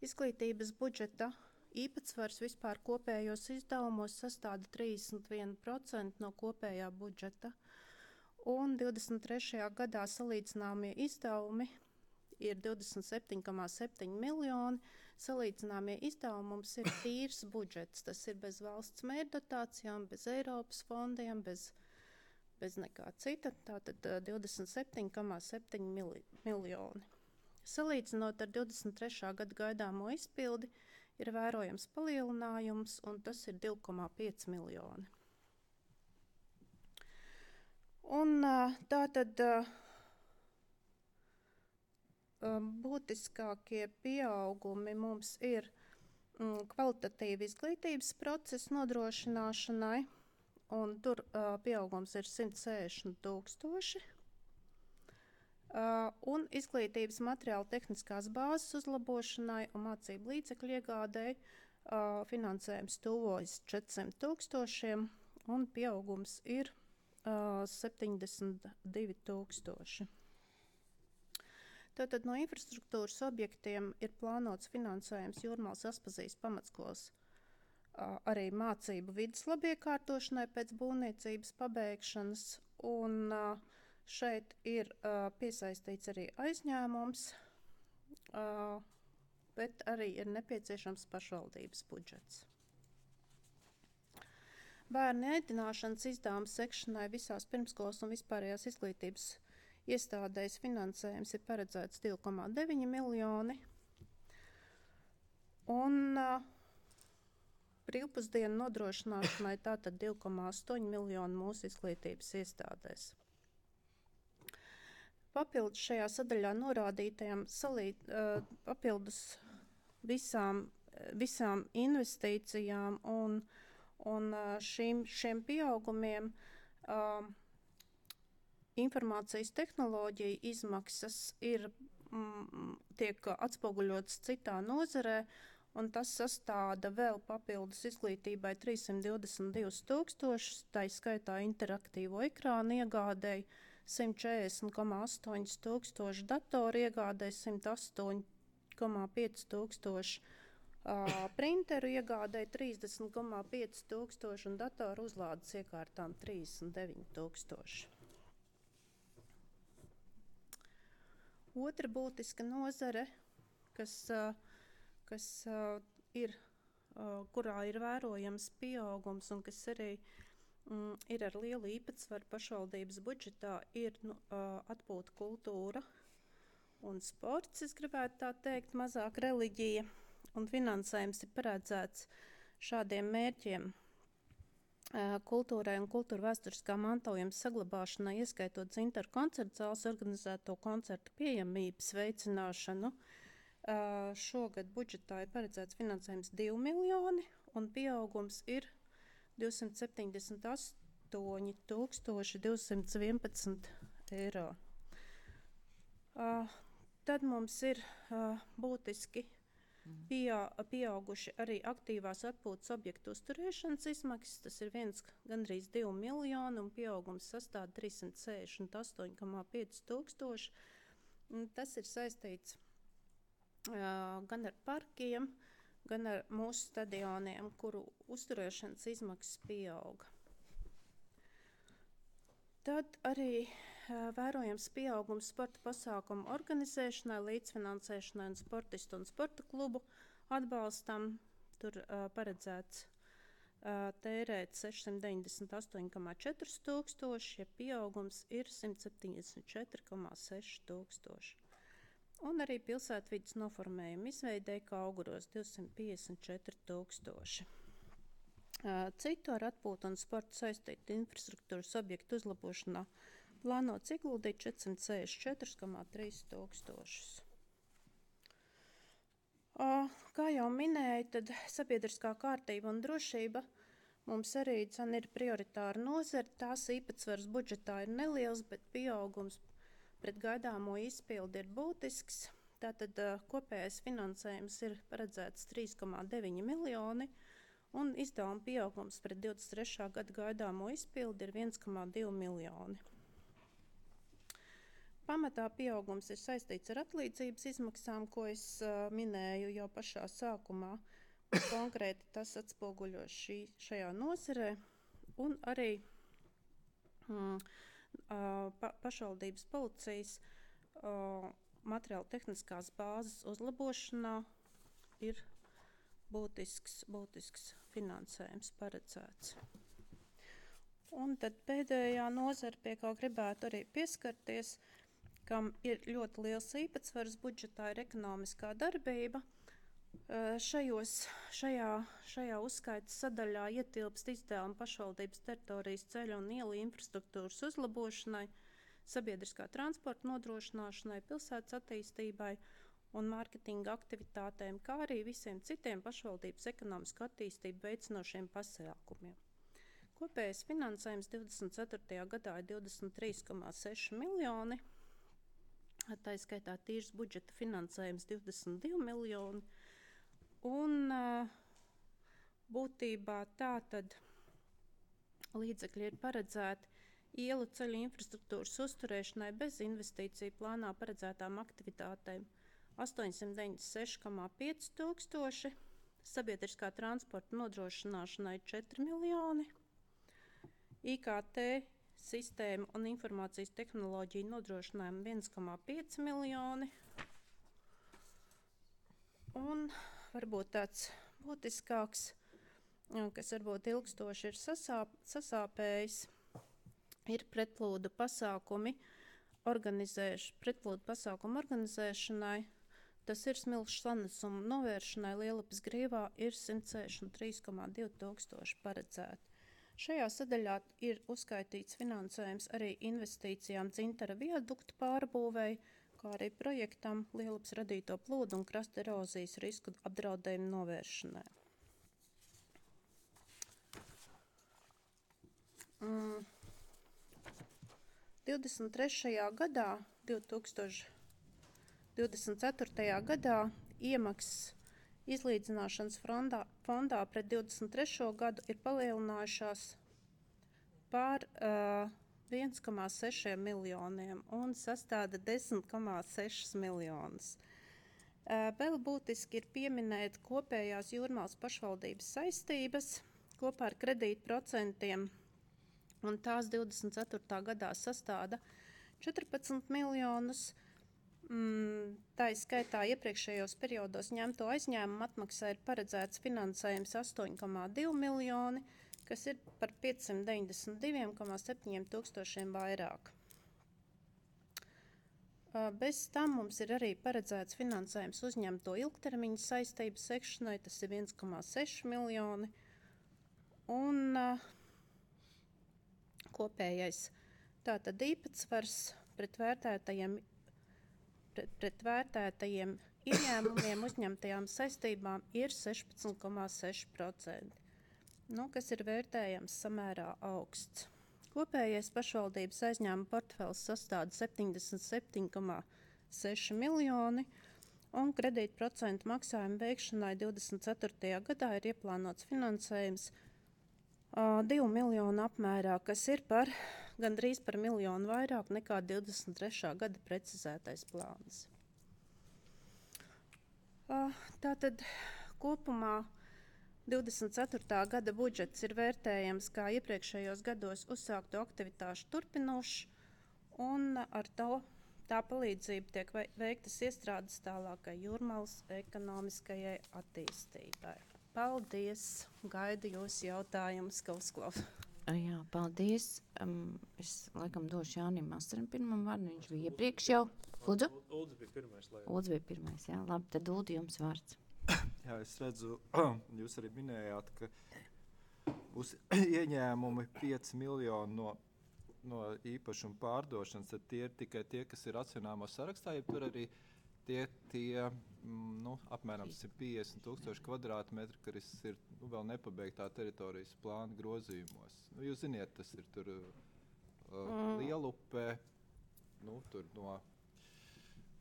Izglītības budžeta īpatsvars vispār kopējos izdevumos sastāda 31% no kopējā budžeta. Un 23. gadā salīdzināmie izdevumi ir 27,7 miljoni. Salīdzināmie izdevumi mums ir tīrs budžets. Tas ir bez valsts mērķdotācijām, bez Eiropas fondiem, bez nekā cita, tātad 27,7 miljoni. Salīdzinot ar 23. gada gaidāmo izpildi, ir vērojams palielinājums, un tas ir 2,5 miljoni. Un tātad būtiskākie pieaugumi mums ir kvalitatīvi izglītības procesu nodrošināšanai, un tur pieaugums ir 160 000. Un izglītības materiāla tehniskās bāzes uzlabošanai un mācību līdzekļu iegādēji finansējums tuvojas 400 000, un pieaugums ir 72 000. Tātad no infrastruktūras objektiem ir plānots finansējums Jūrmālas Aspazijas pamatskolas arī mācību vides labiekārtošanai pēc būvniecības pabeigšanas, un šeit ir piesaistīts arī aizņēmums, bet arī ir nepieciešams pašvaldības budžets. Bērnu ēdināšanas izdevumu sekšanai visās pirmskolas un vispārējās izglītības iestādēs finansējums ir paredzēts 2,9 miljoni, un brīvpusdienu nodrošināšanai tātad 2,8 miljoni mūsu izglītības iestādēs. papildus šajā sadaļā norādītajam papildus visām investīcijām un šiem pieaugumiem informācijas tehnoloģija izmaksas tiek atspoguļotas citā nozarē, un tas sastāda vēl papildus izglītībai 322 000, tā skaitā interaktīvo ekrānu iegādēji 140,8 tūkstoši, datoru iegādēji 108,5 tūkstoši, printeru iegādēji 30,5 tūkstoši un datoru uzlādes iekārtām 39 tūkstoši. Otra būtiska nozare, kurā ir vērojams pieaugums un kas arī ir ar lielu īpatsvaru pašvaldības budžetā, ir atpūta kultūra un sports, es gribētu tā teikt, mazāk reliģija, un finansējums ir paredzēts šādiem mērķiem kultūrai un kultūra vēsturiskā mantojuma saglabāšanai, ieskaitot Dzintaru koncertu zāles organizēto koncertu pieejamības veicināšanu. Šogad budžetā ir paredzēts finansējums 2 miljoni un pieaugums ir 278 211 eiro. Tad mums ir būtiski pieauguši arī aktīvās atpūtas objektu uzturēšanas izmaksas. Tas ir gandrīz 2 miljoni un pieaugums sastāv 368,5 tūkstoši. Tas ir saistīts gan ar parkiem, gan ar mūsu stadioniem, kuru uzturēšanas izmaksas pieauga. Tad arī vērojams pieaugums sporta pasākumu organizēšanai, līdzfinansēšanai un sportistu un sporta klubu atbalstam. Tur paredzēts tērēt 698,4 tūkstoši, ja pieaugums ir 174,6 tūkstoši. Un arī pilsētvides noformējuma izveidē kā auguros 254 tūkstoši. Citu ar atpūtu un sportu saistītu infrastruktūras objektu uzlabošanā plānots ieguldīt 464,3 tūkstošus. Kā jau minēju, tad sabiedriskā kārtība un drošība mums arī ir prioritāra nozara. Tās īpatsvars budžetā ir neliels, bet pieaugums pret gaidāmo izpildi ir būtisks. Tātad kopējais finansējums ir paredzēts 3,9 miljoni un izdevuma pieaugums pret 23. gada gaidāmo izpildi ir 1,2 miljoni. Pamatā pieaugums ir saistīts ar atlīdzības izmaksām, ko es minēju jau pašā sākumā. Konkrēti tas atspoguļo šajā nozarē un arī pašvaldības policijas materiāla tehniskās bāzes uzlabošanā ir būtisks finansējums paredzēts. Un tad pēdējā nozara, pie kā gribētu arī pieskarties, kam ir ļoti liels īpatsvars budžetā, ir ekonomiskā darbība. Šajā uzskaitas sadaļā ietilpst izdevumi pašvaldības teritorijas ceļu un ielu infrastruktūras uzlabošanai, sabiedriskā transporta nodrošināšanai, pilsētas attīstībai un mārketinga aktivitātēm, kā arī visiem citiem pašvaldības ekonomisku attīstību veicinošiem pasākumiem. Kopējais finansējums 24. gadā ir 23,6 miljoni, tā skaitā tīrs budžeta finansējums 22 miljoni, un būtībā tātad līdzekļi ir paredzēti ielu ceļu infrastruktūras uzturēšanai bez investīciju plānā paredzētām aktivitātēm 896,5 tūkstoši, sabiedriskā transporta nodrošināšanai 4 miljoni, IKT sistēmu un informācijas tehnoloģiju nodrošinājumu 1,5 miljoni. Un varbūt tāds būtiskāks, kas varbūt ilgstoši ir sasāpējis, ir pretplūdu pasākumu organizēšanai. Tas ir smilšu sanesumu novēršanai Lielupes grīvā ir 163,2 tūkstoši paredzēti. Šajā sadaļā ir uzskaitīts finansējums arī investīcijām Dzintara viadukta pārbūvēi, kā arī projektam Lielupas radīto plūdu un krasta erozijas risku apdraudējumu novēršanai. 23. gadā, 2024. gadā iemaksas izlīdzināšanas fondā pret 23. gadu ir palielinājušās par 1,6 miljoniem un sastāda 10,6 miljonus. Vēl būtiski ir pieminēt kopējās Jūrmālas pašvaldības saistības kopā ar kredītprocentiem, un tās 24. gadā sastāda 14 miljonus. Tā izskaitā iepriekšējos periodos ņemto aizņēmumu atmaksā ir paredzēts finansējums 8,2 miljoni, kas ir par 592,7 tūkstošiem vairāk. Bez tam mums ir arī paredzēts finansējums uzņemto ilgtermiņa saistību sekšanai, tas ir 1,6 miljoni, un kopējais tātad īpatsvars pret vērtētajiem ieņēmumiem uzņemtajām saistībām ir 16,6%, kas ir vērtējams samērā augsts. Kopējais pašvaldības aizņēmuma portfels sastāda 77,6 miljoni, un kredītprocentu maksājumu veikšanai 24. gadā ir ieplānots finansējums 2 miljonu apmērā, kas ir gandrīz par miljonu vairāk nekā 23. gada precizētais plāns. Tātad kopumā 24. gada budžets ir vērtējams kā iepriekšējos gados uzsāktu aktivitāšu turpinošs, un ar tā palīdzību tiek veiktas iestrādes tālākai Jūrmalas ekonomiskajai attīstībai. Paldies! Gaidu jūs jautājumus, ka uzklausu. Jā, paldies. Es laikam došu Jānim Masaram pirmam vārdu, viņš bija iepriekš jau. Lūdzu? Uldis bija pirmais. Uldis bija pirmais, jā. Labi, tad Uldi jums vārds. Jā, es redzu, jūs arī minējāt, ka būs ieņēmumi 5 miljoni no īpašuma pārdošanas, tad tie ir tikai tie, kas ir racionālā sarakstā, ja tur arī tie apmēram 150,000 kvadrātmetri, kas ir vēl nepabeigtā teritorijas plāna grozījumos. Jūs ziniet, tas ir tur Lielupē, tur no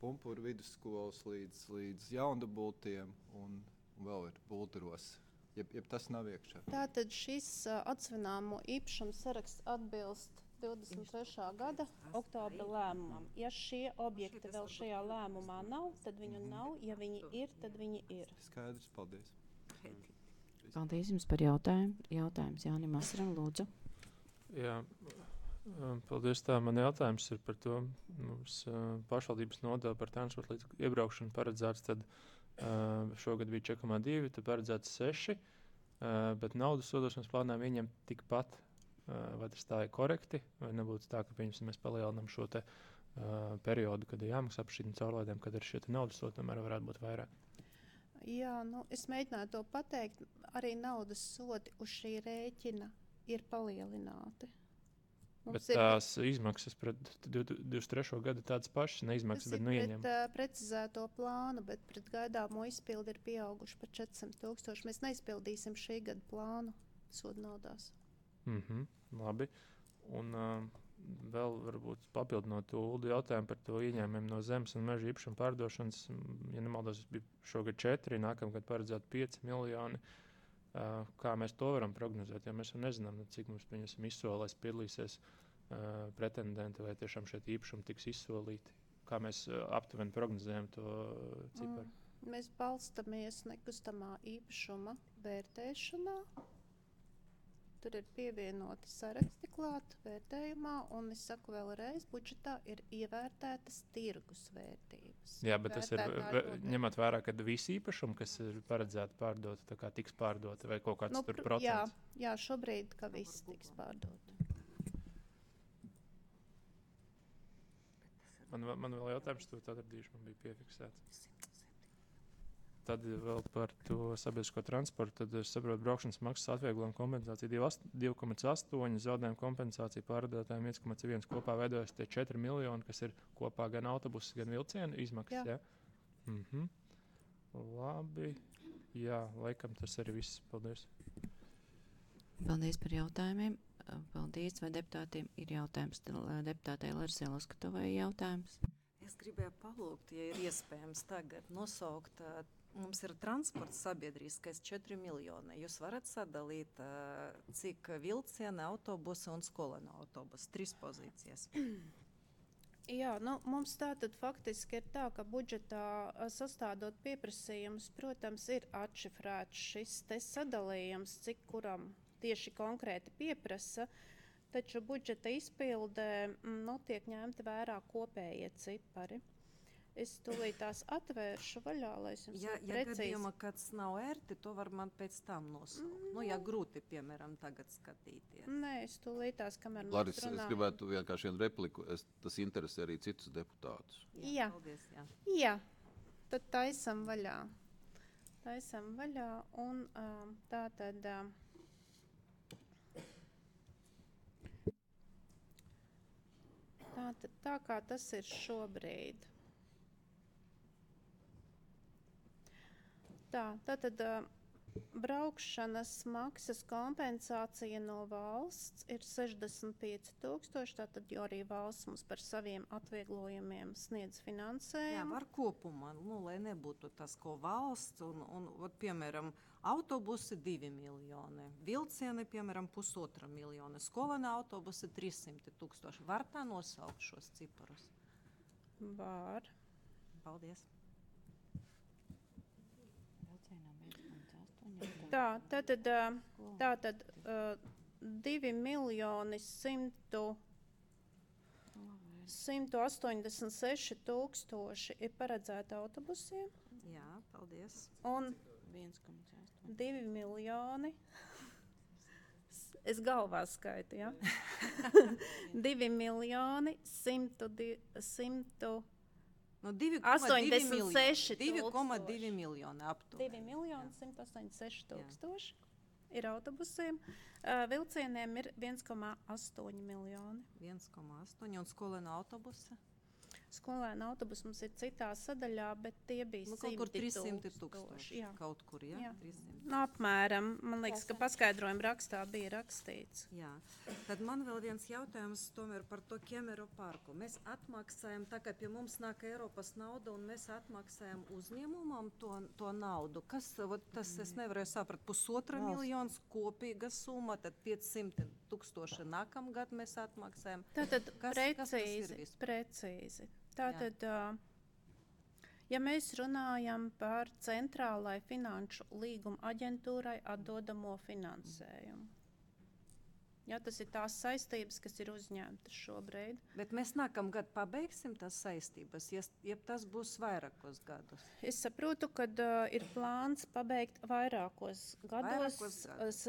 Pumpuru vidusskolas līdz Jaundabultiem un vēl ir Bulturos. Jeb tas nav iekšā. Tātad šis atsvināmo īpašumu saraksts atbilst 23. gada oktobra lēmumam. Ja šie objekti vēl šajā lēmumā nav, tad viņu nav. Ja viņi ir, tad viņi ir. Skaidrs, paldies. Paldies jums par jautājumu. Jautājums Jānim Masaram, lūdzu. Jā, paldies. Man jautājums ir par to. Mums pašvaldības nodeva par transporta līdzekļu iebraukšanu paredzēts, tad šogad bija 4,2, tad paredzēts 6, bet naudas sodošanas plānā ieņem tikpat. Vai tas tā ir korekti, vai nebūtu tā, ka mēs palielinām šo te periodu, kad ir jāmaksā par šīm caurlaidēm, kad ir šie naudas sodi, tomēr varētu būt vairāk? Jā, es mēģināju to pateikt. Arī naudas sodi uz šī rēķina ir palielināti. Bet tās izmaksas pret 23. gadu tādas pašas, neizmaksas, bet ieņem. Tas ir pret precizēto plānu, bet pret gaidāmo izpildi ir pieauguši par 400,000. Mēs neizpildīsim šī gada plānu sodu naudās. Labi. Un vēl varbūt papildinot to Uldu jautājumu par to ieņēmumiem no zemes un meža īpašuma pārdošanas. Ja nemaldos, bija šogad 4, nākamgad paredzēt 5 miljoni. Kā mēs to varam prognozēt? Ja mēs jau nezinām, cik mums izsolēs piedalīsies pretendenti vai tiešām šeit īpašumi tiks izsolīti. Kā mēs aptuveni prognozējam to ciparu? Mēs balstamies nekustamā īpašuma vērtēšanā. Tur ir pievienoti saraksti klāt vērtējumā, un es saku vēlreiz, budžetā ir ievērtētas tirgus vērtības. Jā, bet tas ir ņemot vērā, ka visi īpašumi, kas ir paredzēti pārdot, tā kā tiks pārdoti vai kaut kāds tur procents? Jā, šobrīd, ka viss tiks pārdoti. Man vēl jautājums, to atradīšu, man bija piefiksēts. tad vēl par to sabiedrisko transportu. Tad es saprotu, braukšanas maksas atvieglojumu kompensāciju 2,8, zaudējumu kompensāciju pārvadātājiem 1,1. Kopā veidojas tie 4 miljoni, kas ir kopā gan autobusu, gan vilcienu izmaksas. Jā. Ja? Labi. Jā, laikam tas arī viss. Paldies. Paldies par jautājumiem. Paldies, vai deputātiem ir jautājums. Deputātei Larsai Laskatovai jautājums. Es gribēju palūgt, ja ir iespējams tagad nosaukt, mums ir transports sabiedriskais 4 miljoni. Jūs varat sadalīt, cik vilciena, autobusa un skolēnu autobusa, 3 pozīcijas. Jā, mums tātad faktiski ir tā, ka budžetā sastādot pieprasījumus, protams, ir atšifrēts šis te sadalījums, cik kuram tieši konkrēti pieprasa, taču budžeta izpildē tiek ņemti vērā kopējie cipari. Es tūlīt tās atvēršu vaļā, lai es jums Ja precīzi. gadījumā kāds nav ērti, to var man pēc tam nosaukt. Ja grūti, piemēram, tagad skatīties. Nē, es tūlīt tās, kamēr mēs Laris, es runājam. gribētu vienkārši vienu repliku. Tas interesē arī citus deputātus. Jā. Paldies, jā. Jā, tad taisam vaļā. Un tā tad... Tātad tā kā tas ir šobrīd. Tātad braukšanas maksas kompensācija no valsts ir 65,000, tātad jo arī valsts mums par saviem atvieglojumiem sniedz Jā, finansējumu. var kopumā, lai nebūtu tas, ko valsts, piemēram, autobusi 2 miljoni, vilcieni, piemēram, 1,5 miljoni, skolēnu autobusi 300,000. Var tā nosaukt šos ciparus? Var. Paldies. Tātad 2 miljoni 186 tūkstoši ir paredzēti autobusiem. Jā, paldies. Un 2 miljoni. Es galvā skaitu, ja? 2 miljoni 100. No 2,2 86 2,2 miljoni aptuveni. 2 miljoni 186 tūkstoši ir autobusiem. Vilcieniem ir 1,8 miljoni. 1,8 un skolēnu autobusi? Skolēnu autobusi mums ir citā sadaļā, bet tie bija Kaut kur 100 300,000. Jā. Kaut kur, jā? Jā. 300. Apmēram. Man liekas, ka paskaidrojuma rakstā bija rakstīts. Jā. Tad man vēl viens jautājums tomēr par to Ķemeru parku. Mēs atmaksājam, tā kā pie mums nāk Eiropas nauda, un mēs atmaksājam uzņēmumam to naudu. Kas, tas es nevarēju saprast, 1,5 miljonus kopīga summa, tad 500,000 nākamgad mēs atmaksājam. Tātad Kas tas ir precīzi, vispār? precīzi. Tātad, ja mēs runājam par centrālai finanšu līguma aģentūrai atdodamo finansējumu. Ja, tas ir tās saistības, kas ir uzņemtas šobrīd. Bet mēs nākamgad pabeigsim tās saistības, ja tas būs vairākos gadus. Es saprotu, ka ir plāns pabeigt vairākos gados. Es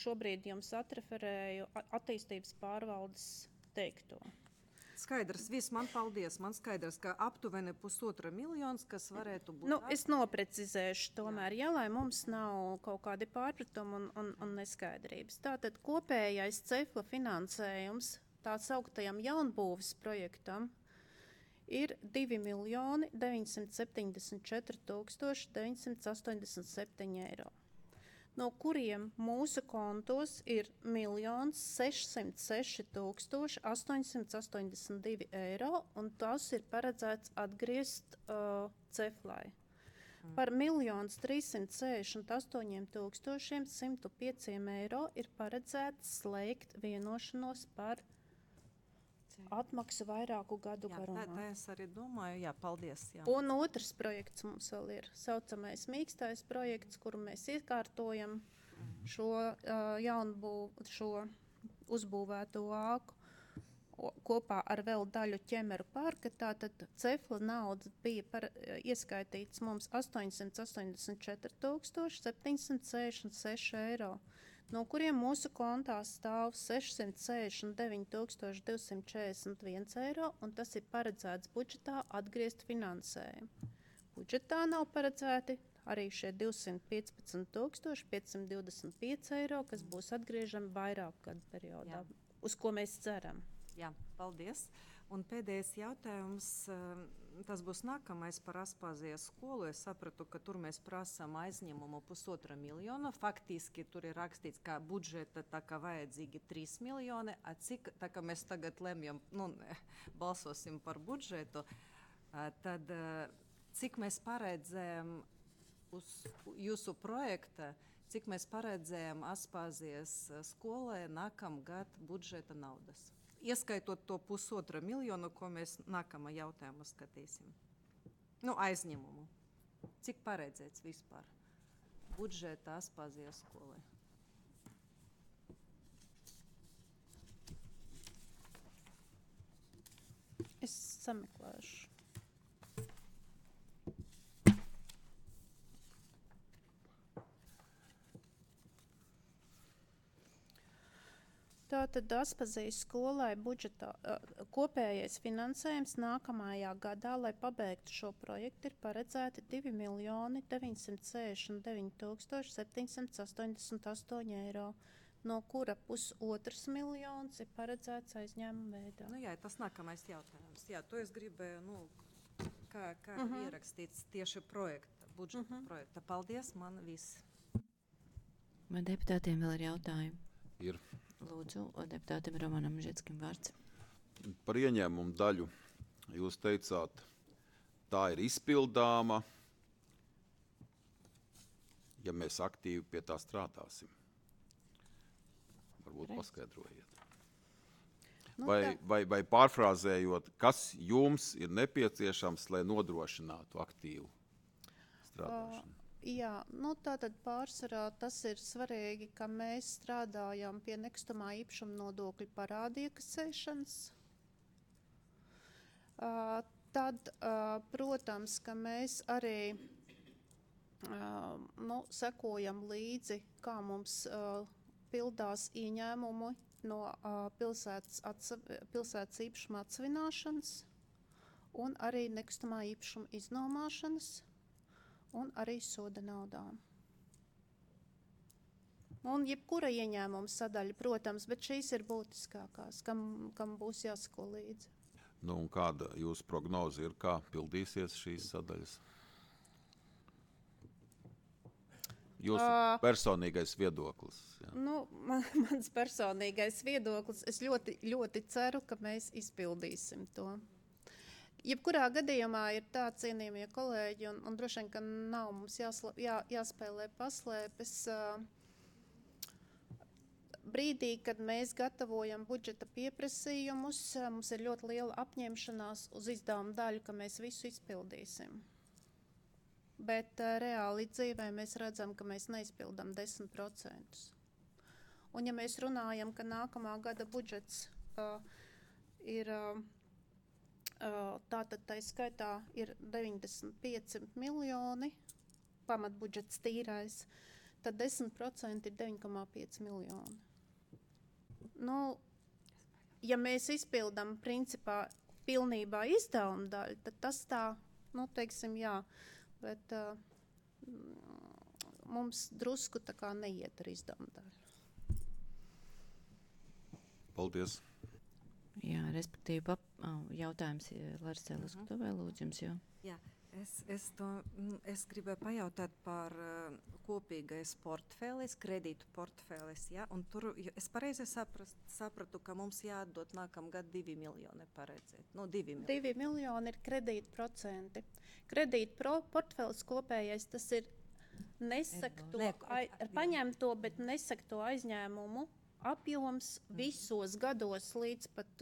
šobrīd jums atreferēju attīstības pārvaldes teikto. Skaidrs, viss man paldies. Man skaidrs, ka aptuveni 1,5 miljonus, kas varētu būt. Es noprecizēšu tomēr, ja, lai mums nav kaut kādi pārpratumi un neskaidrības. Tātad kopējais CEFLA finansējums tā sauktajam jaunbūves projektam ir 2 miljoni 974 987 eiro, no kuriem mūsu kontos ir 1 606 882 eiro, un tas ir paredzēts atgriezt CEFLai. Par 1 368 105 eiro ir paredzēts slēgt vienošanos par atmaksu vairāku gadu garumā. Tā es arī domāju, jā, paldies. Jā. Un otrs projekts mums vēl ir saucamais mīkstais projekts, kuru mēs iekārtojam šo šo uzbūvēto āku kopā ar vēl daļu Ķemeru parka. Tātad CEFLA nauda bija ieskaitīts mums 884 766 eiro, no kuriem mūsu kontā stāv 669 241 eiro, un tas ir paredzēts budžetā atgriezt finansējumu. Budžetā nav paredzēti arī šie 215,525 eiro, kas būs atgriežami vairāk gadu periodā, uz ko mēs ceram. Jā, paldies. Un pēdējais jautājums, tas būs nākamais par Aspazijas skolu. Es sapratu, ka tur mēs prasām aizņemumu 1,5 miljonu. Faktiski tur ir rakstīts, ka budžeta tā kā vajadzīgi 3 miljoni. A cik, tā kā mēs tagad lemjam, balsosim par budžetu, tad cik mēs paredzējam uz jūsu projekta, cik mēs paredzējam Aspazijas skolai nākamgad budžeta naudas? Ieskaitot to 1,5 miljonu, ko mēs nākamā jautājumā skatīsim. Aizņemumu. Cik paredzēts vispār budžeta Aspazijas skolai? Es sameklēšu. Tātad Aspazijas skolai budžetā kopējais finansējums nākamajā gadā, lai pabeigtu šo projektu, ir paredzēti 2.979.788 eiro, no kura 1,5 miljons ir paredzēts aizņēmuma veidā. Jā, tas nākamais jautājums. Jā, to es gribēju, kā ierakstīts tieši projekta, budžeta projekta. Paldies, man viss. Vai deputātiem vēl ir jautājumi? Ir. Lūdzu, deputātam Romanam Žetskim vārds. Par ieņēmumu daļu jūs teicāt, tā ir izpildāma, ja mēs aktīvi pie tā strādāsim. Varbūt paskaidrojiet. Vai pārfrāzējot, kas jums ir nepieciešams, lai nodrošinātu aktīvu strādāšanu? Jā, tātad pārsvarā tas ir svarīgi, ka mēs strādājam pie nekustamā īpašuma nodokļa parādu iekasēšanas. Tad, protams, ka mēs arī sekojam līdzi, kā mums pildās ieņēmumi no pilsētas īpašuma atsvināšanas un arī nekustamā īpašuma iznomāšanas. Un arī soda naudām. Un jebkura ieņēmuma sadaļa, protams, bet šīs ir būtiskākās, kam būs jāsako līdzi. Un kāda jūsu prognoze ir, kā pildīsies šīs sadaļas? Jūsu personīgais viedoklis. Jā. Mans personīgais viedoklis, es ļoti, ļoti ceru, ka mēs izpildīsim to. Jebkurā gadījumā ir tā, cienījamie kolēģi, un droši vien, ka nav mums jāspēlē paslēpes. Brīdī, kad mēs gatavojam budžeta pieprasījumus, mums ir ļoti liela apņemšanās uz izdevumu daļu, ka mēs visu izpildīsim. Bet reāli dzīvē mēs redzam, ka mēs neizpildam 10%. Un ja mēs runājam, ka nākamā gada budžets ir... Tātad tā skaitā ir 95 miljoni, pamatbudžets tīrais, tad 10% ir 9,5 miljoni. Ja mēs izpildam principā pilnībā izdevumu daļu, tad tas tā, teiksim, jā, bet mums drusku tā kā neiet ar izdevumu daļu. Paldies. Jā, respektīvi, jautājums Larsē Laskutuvē, lūdzu jums jau. Jā, es gribēju pajautāt par kopīgais portfēlis, kredītu portfēlis, ja? Un tur es pareizi sapratu, ka mums jāatdot nākamgad 2 miljoni paredzēt. 2 miljoni ir kredītu procenti. Kredītu portfēlis kopējais, tas ir paņemto, bet nesakto aizņēmumu apjoms visos gados līdz pat,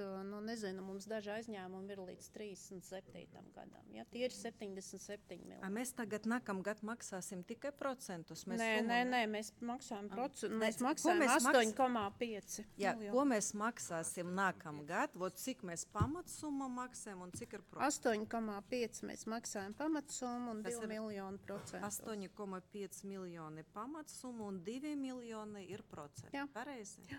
mums daži aizņēmumi ir līdz 37. gadam. Ja? Tie ir 77 miljoni. Mēs tagad nākamgad maksāsim tikai procentus? Nē, mēs maksājam procentus. Mēs maksājam 8,5 miljoni. Ko mēs maksāsim nākamgad? Cik mēs pamatsummu maksājam un cik ir procentus? 8,5 mēs maksājam pamatsummu un 2 miljoni procentus. 8,5 miljoni pamatsummu un 2 miljoni ir procenti. Jā. Pareizi? Jā.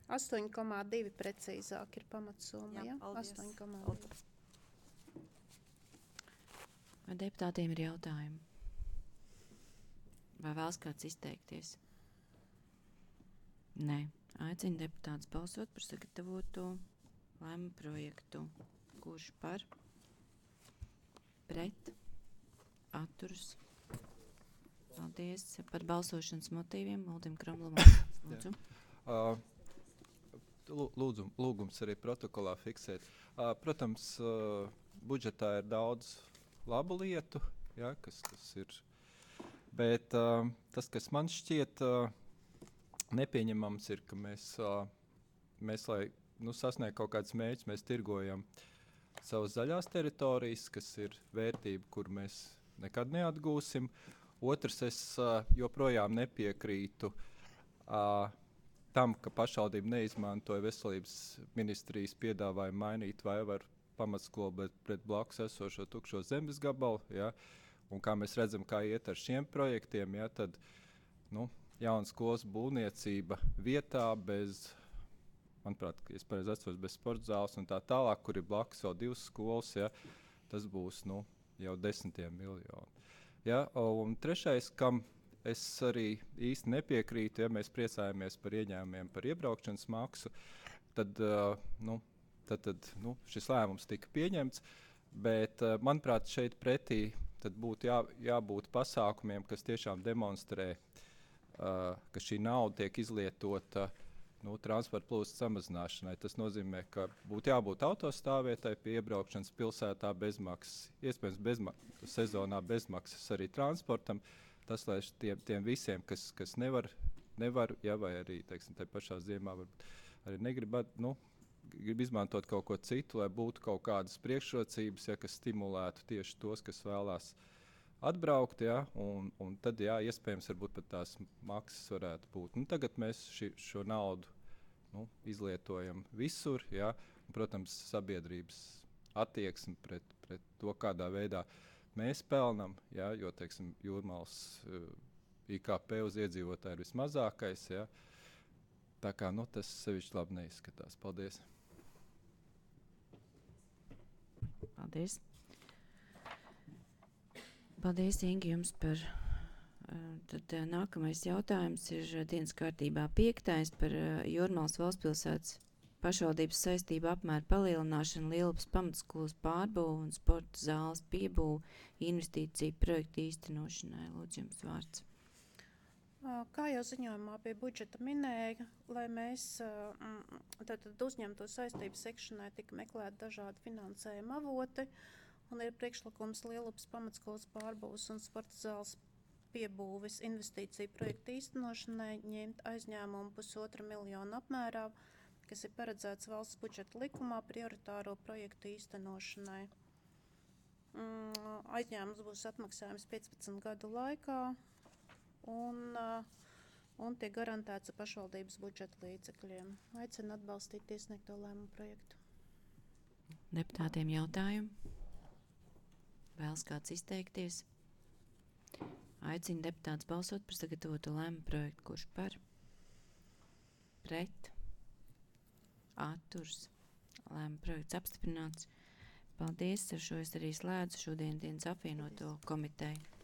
8,2 precīzāk ir pamatsumma. Jā, ja? paldies. 8,2. Vai deputātiem ir jautājumi? Vai vēlas kāds izteikties? Nē. Aicinu deputātus balsot par sagatavoto lēmumu projektu. Kurš par? Pret? Atturas? Paldies. Par balsošanas motīviem Uldim Kramlavam. Lūdzu. Lūgums arī protokolā fiksēt. Protams, budžetā ir daudz labu lietu, ja, kas ir. Bet tas, kas man šķiet nepieņemams, ir, ka mēs lai sasniegtu kaut kādus mērķus, mēs tirgojam savas zaļās teritorijas, kas ir vērtība, kur mēs nekad neatgūsim. Otrs, es joprojām nepiekrītu tam, ka pašvaldība neizmantoja veselības ministrijas piedāvājumu mainīt Vaivaru pamatskolu pret blakus esošo tukšo zemes gabalu. Ja? Un kā mēs redzam, kā iet ar šiem projektiem, ja? Tad jauna skolas būvniecība vietā bez, manuprāt, es pareizi atceros, bez sporta zāles un tā tālāk, kur ir blakus vēl 2 skolas, ja? Tas būs jau 10 miljoni. Ja? Un trešais, kam es arī īsti nepiekrītu, ja mēs priecājamies par ieņēmumiem par iebraukšanas maksu, tad šis lēmums tika pieņemts, bet, manuprāt, šeit pretī tad būtu jābūt pasākumiem, kas tiešām demonstrē, ka šī nauda tiek izlietota transporta plūsmas samazināšanai. Tas nozīmē, ka būtu jābūt autostāvvietai pie iebraukšanas pilsētā bezmaksas, iespējams sezonā bezmaksas arī transportam. Tas, lai tiem visiem, kas nevar ja, vai arī, teiksim, tai pašā ziemā arī grib izmantot kaut ko citu, lai būtu kaut kādas priekšrocības, ja, kas stimulētu tieši tos, kas vēlās atbraukt, ja, un tad, jā, iespējams, varbūt pat tās maksas varētu būt. Tagad mēs šo naudu izlietojam visur, ja, un, protams, sabiedrības attieksmi pret to, kādā veidā mēs pelnam, ja, jo, teiksim, Jūrmalas IKP uz iedzīvotāju ir vismazākais, ja. Tā kā, tas sevišķi labi neizskatās. Paldies. Paldies. Paldies, Ingi, jums par. Tad nākamais jautājums ir dienas kārtībā 5. par Jūrmalas valstspilsētas pašvaldības saistību apmēru palielināšanu, Lielupas pamatskolas pārbūvu un sporta zāles piebūvu investīciju projektu īstenošanai. Lūdzu, jums vārds. Kā jau ziņojumā pie budžeta minēja, lai mēs uzņemto saistību sekšanai tika meklēt dažādi finansējuma avoti, un ir priekšlikums Lielupas pamatskolas pārbūves un sporta zāles piebūves investīciju projektu īstenošanai ņemt aizņēmumu 1,5 miljonu apmērā, kas ir paredzēts valsts budžeta likumā prioritāro projektu īstenošanai. Aizņēmums būs atmaksājums 15 gadu laikā un tiek garantēts ar pašvaldības budžeta līdzekļiem. Aicinu atbalstīt iesniegto lēmumu projektu. Deputātiem jautājumu? Vēlas kāds izteikties? Aicinu deputātus balsot par sagatavoto lēmumu projektu. Kurš par? Pret? Atturs. Lēmuma projekts apstiprināts. Paldies, ar šo es arī slēdzu šodien dienas apvienoto komiteju.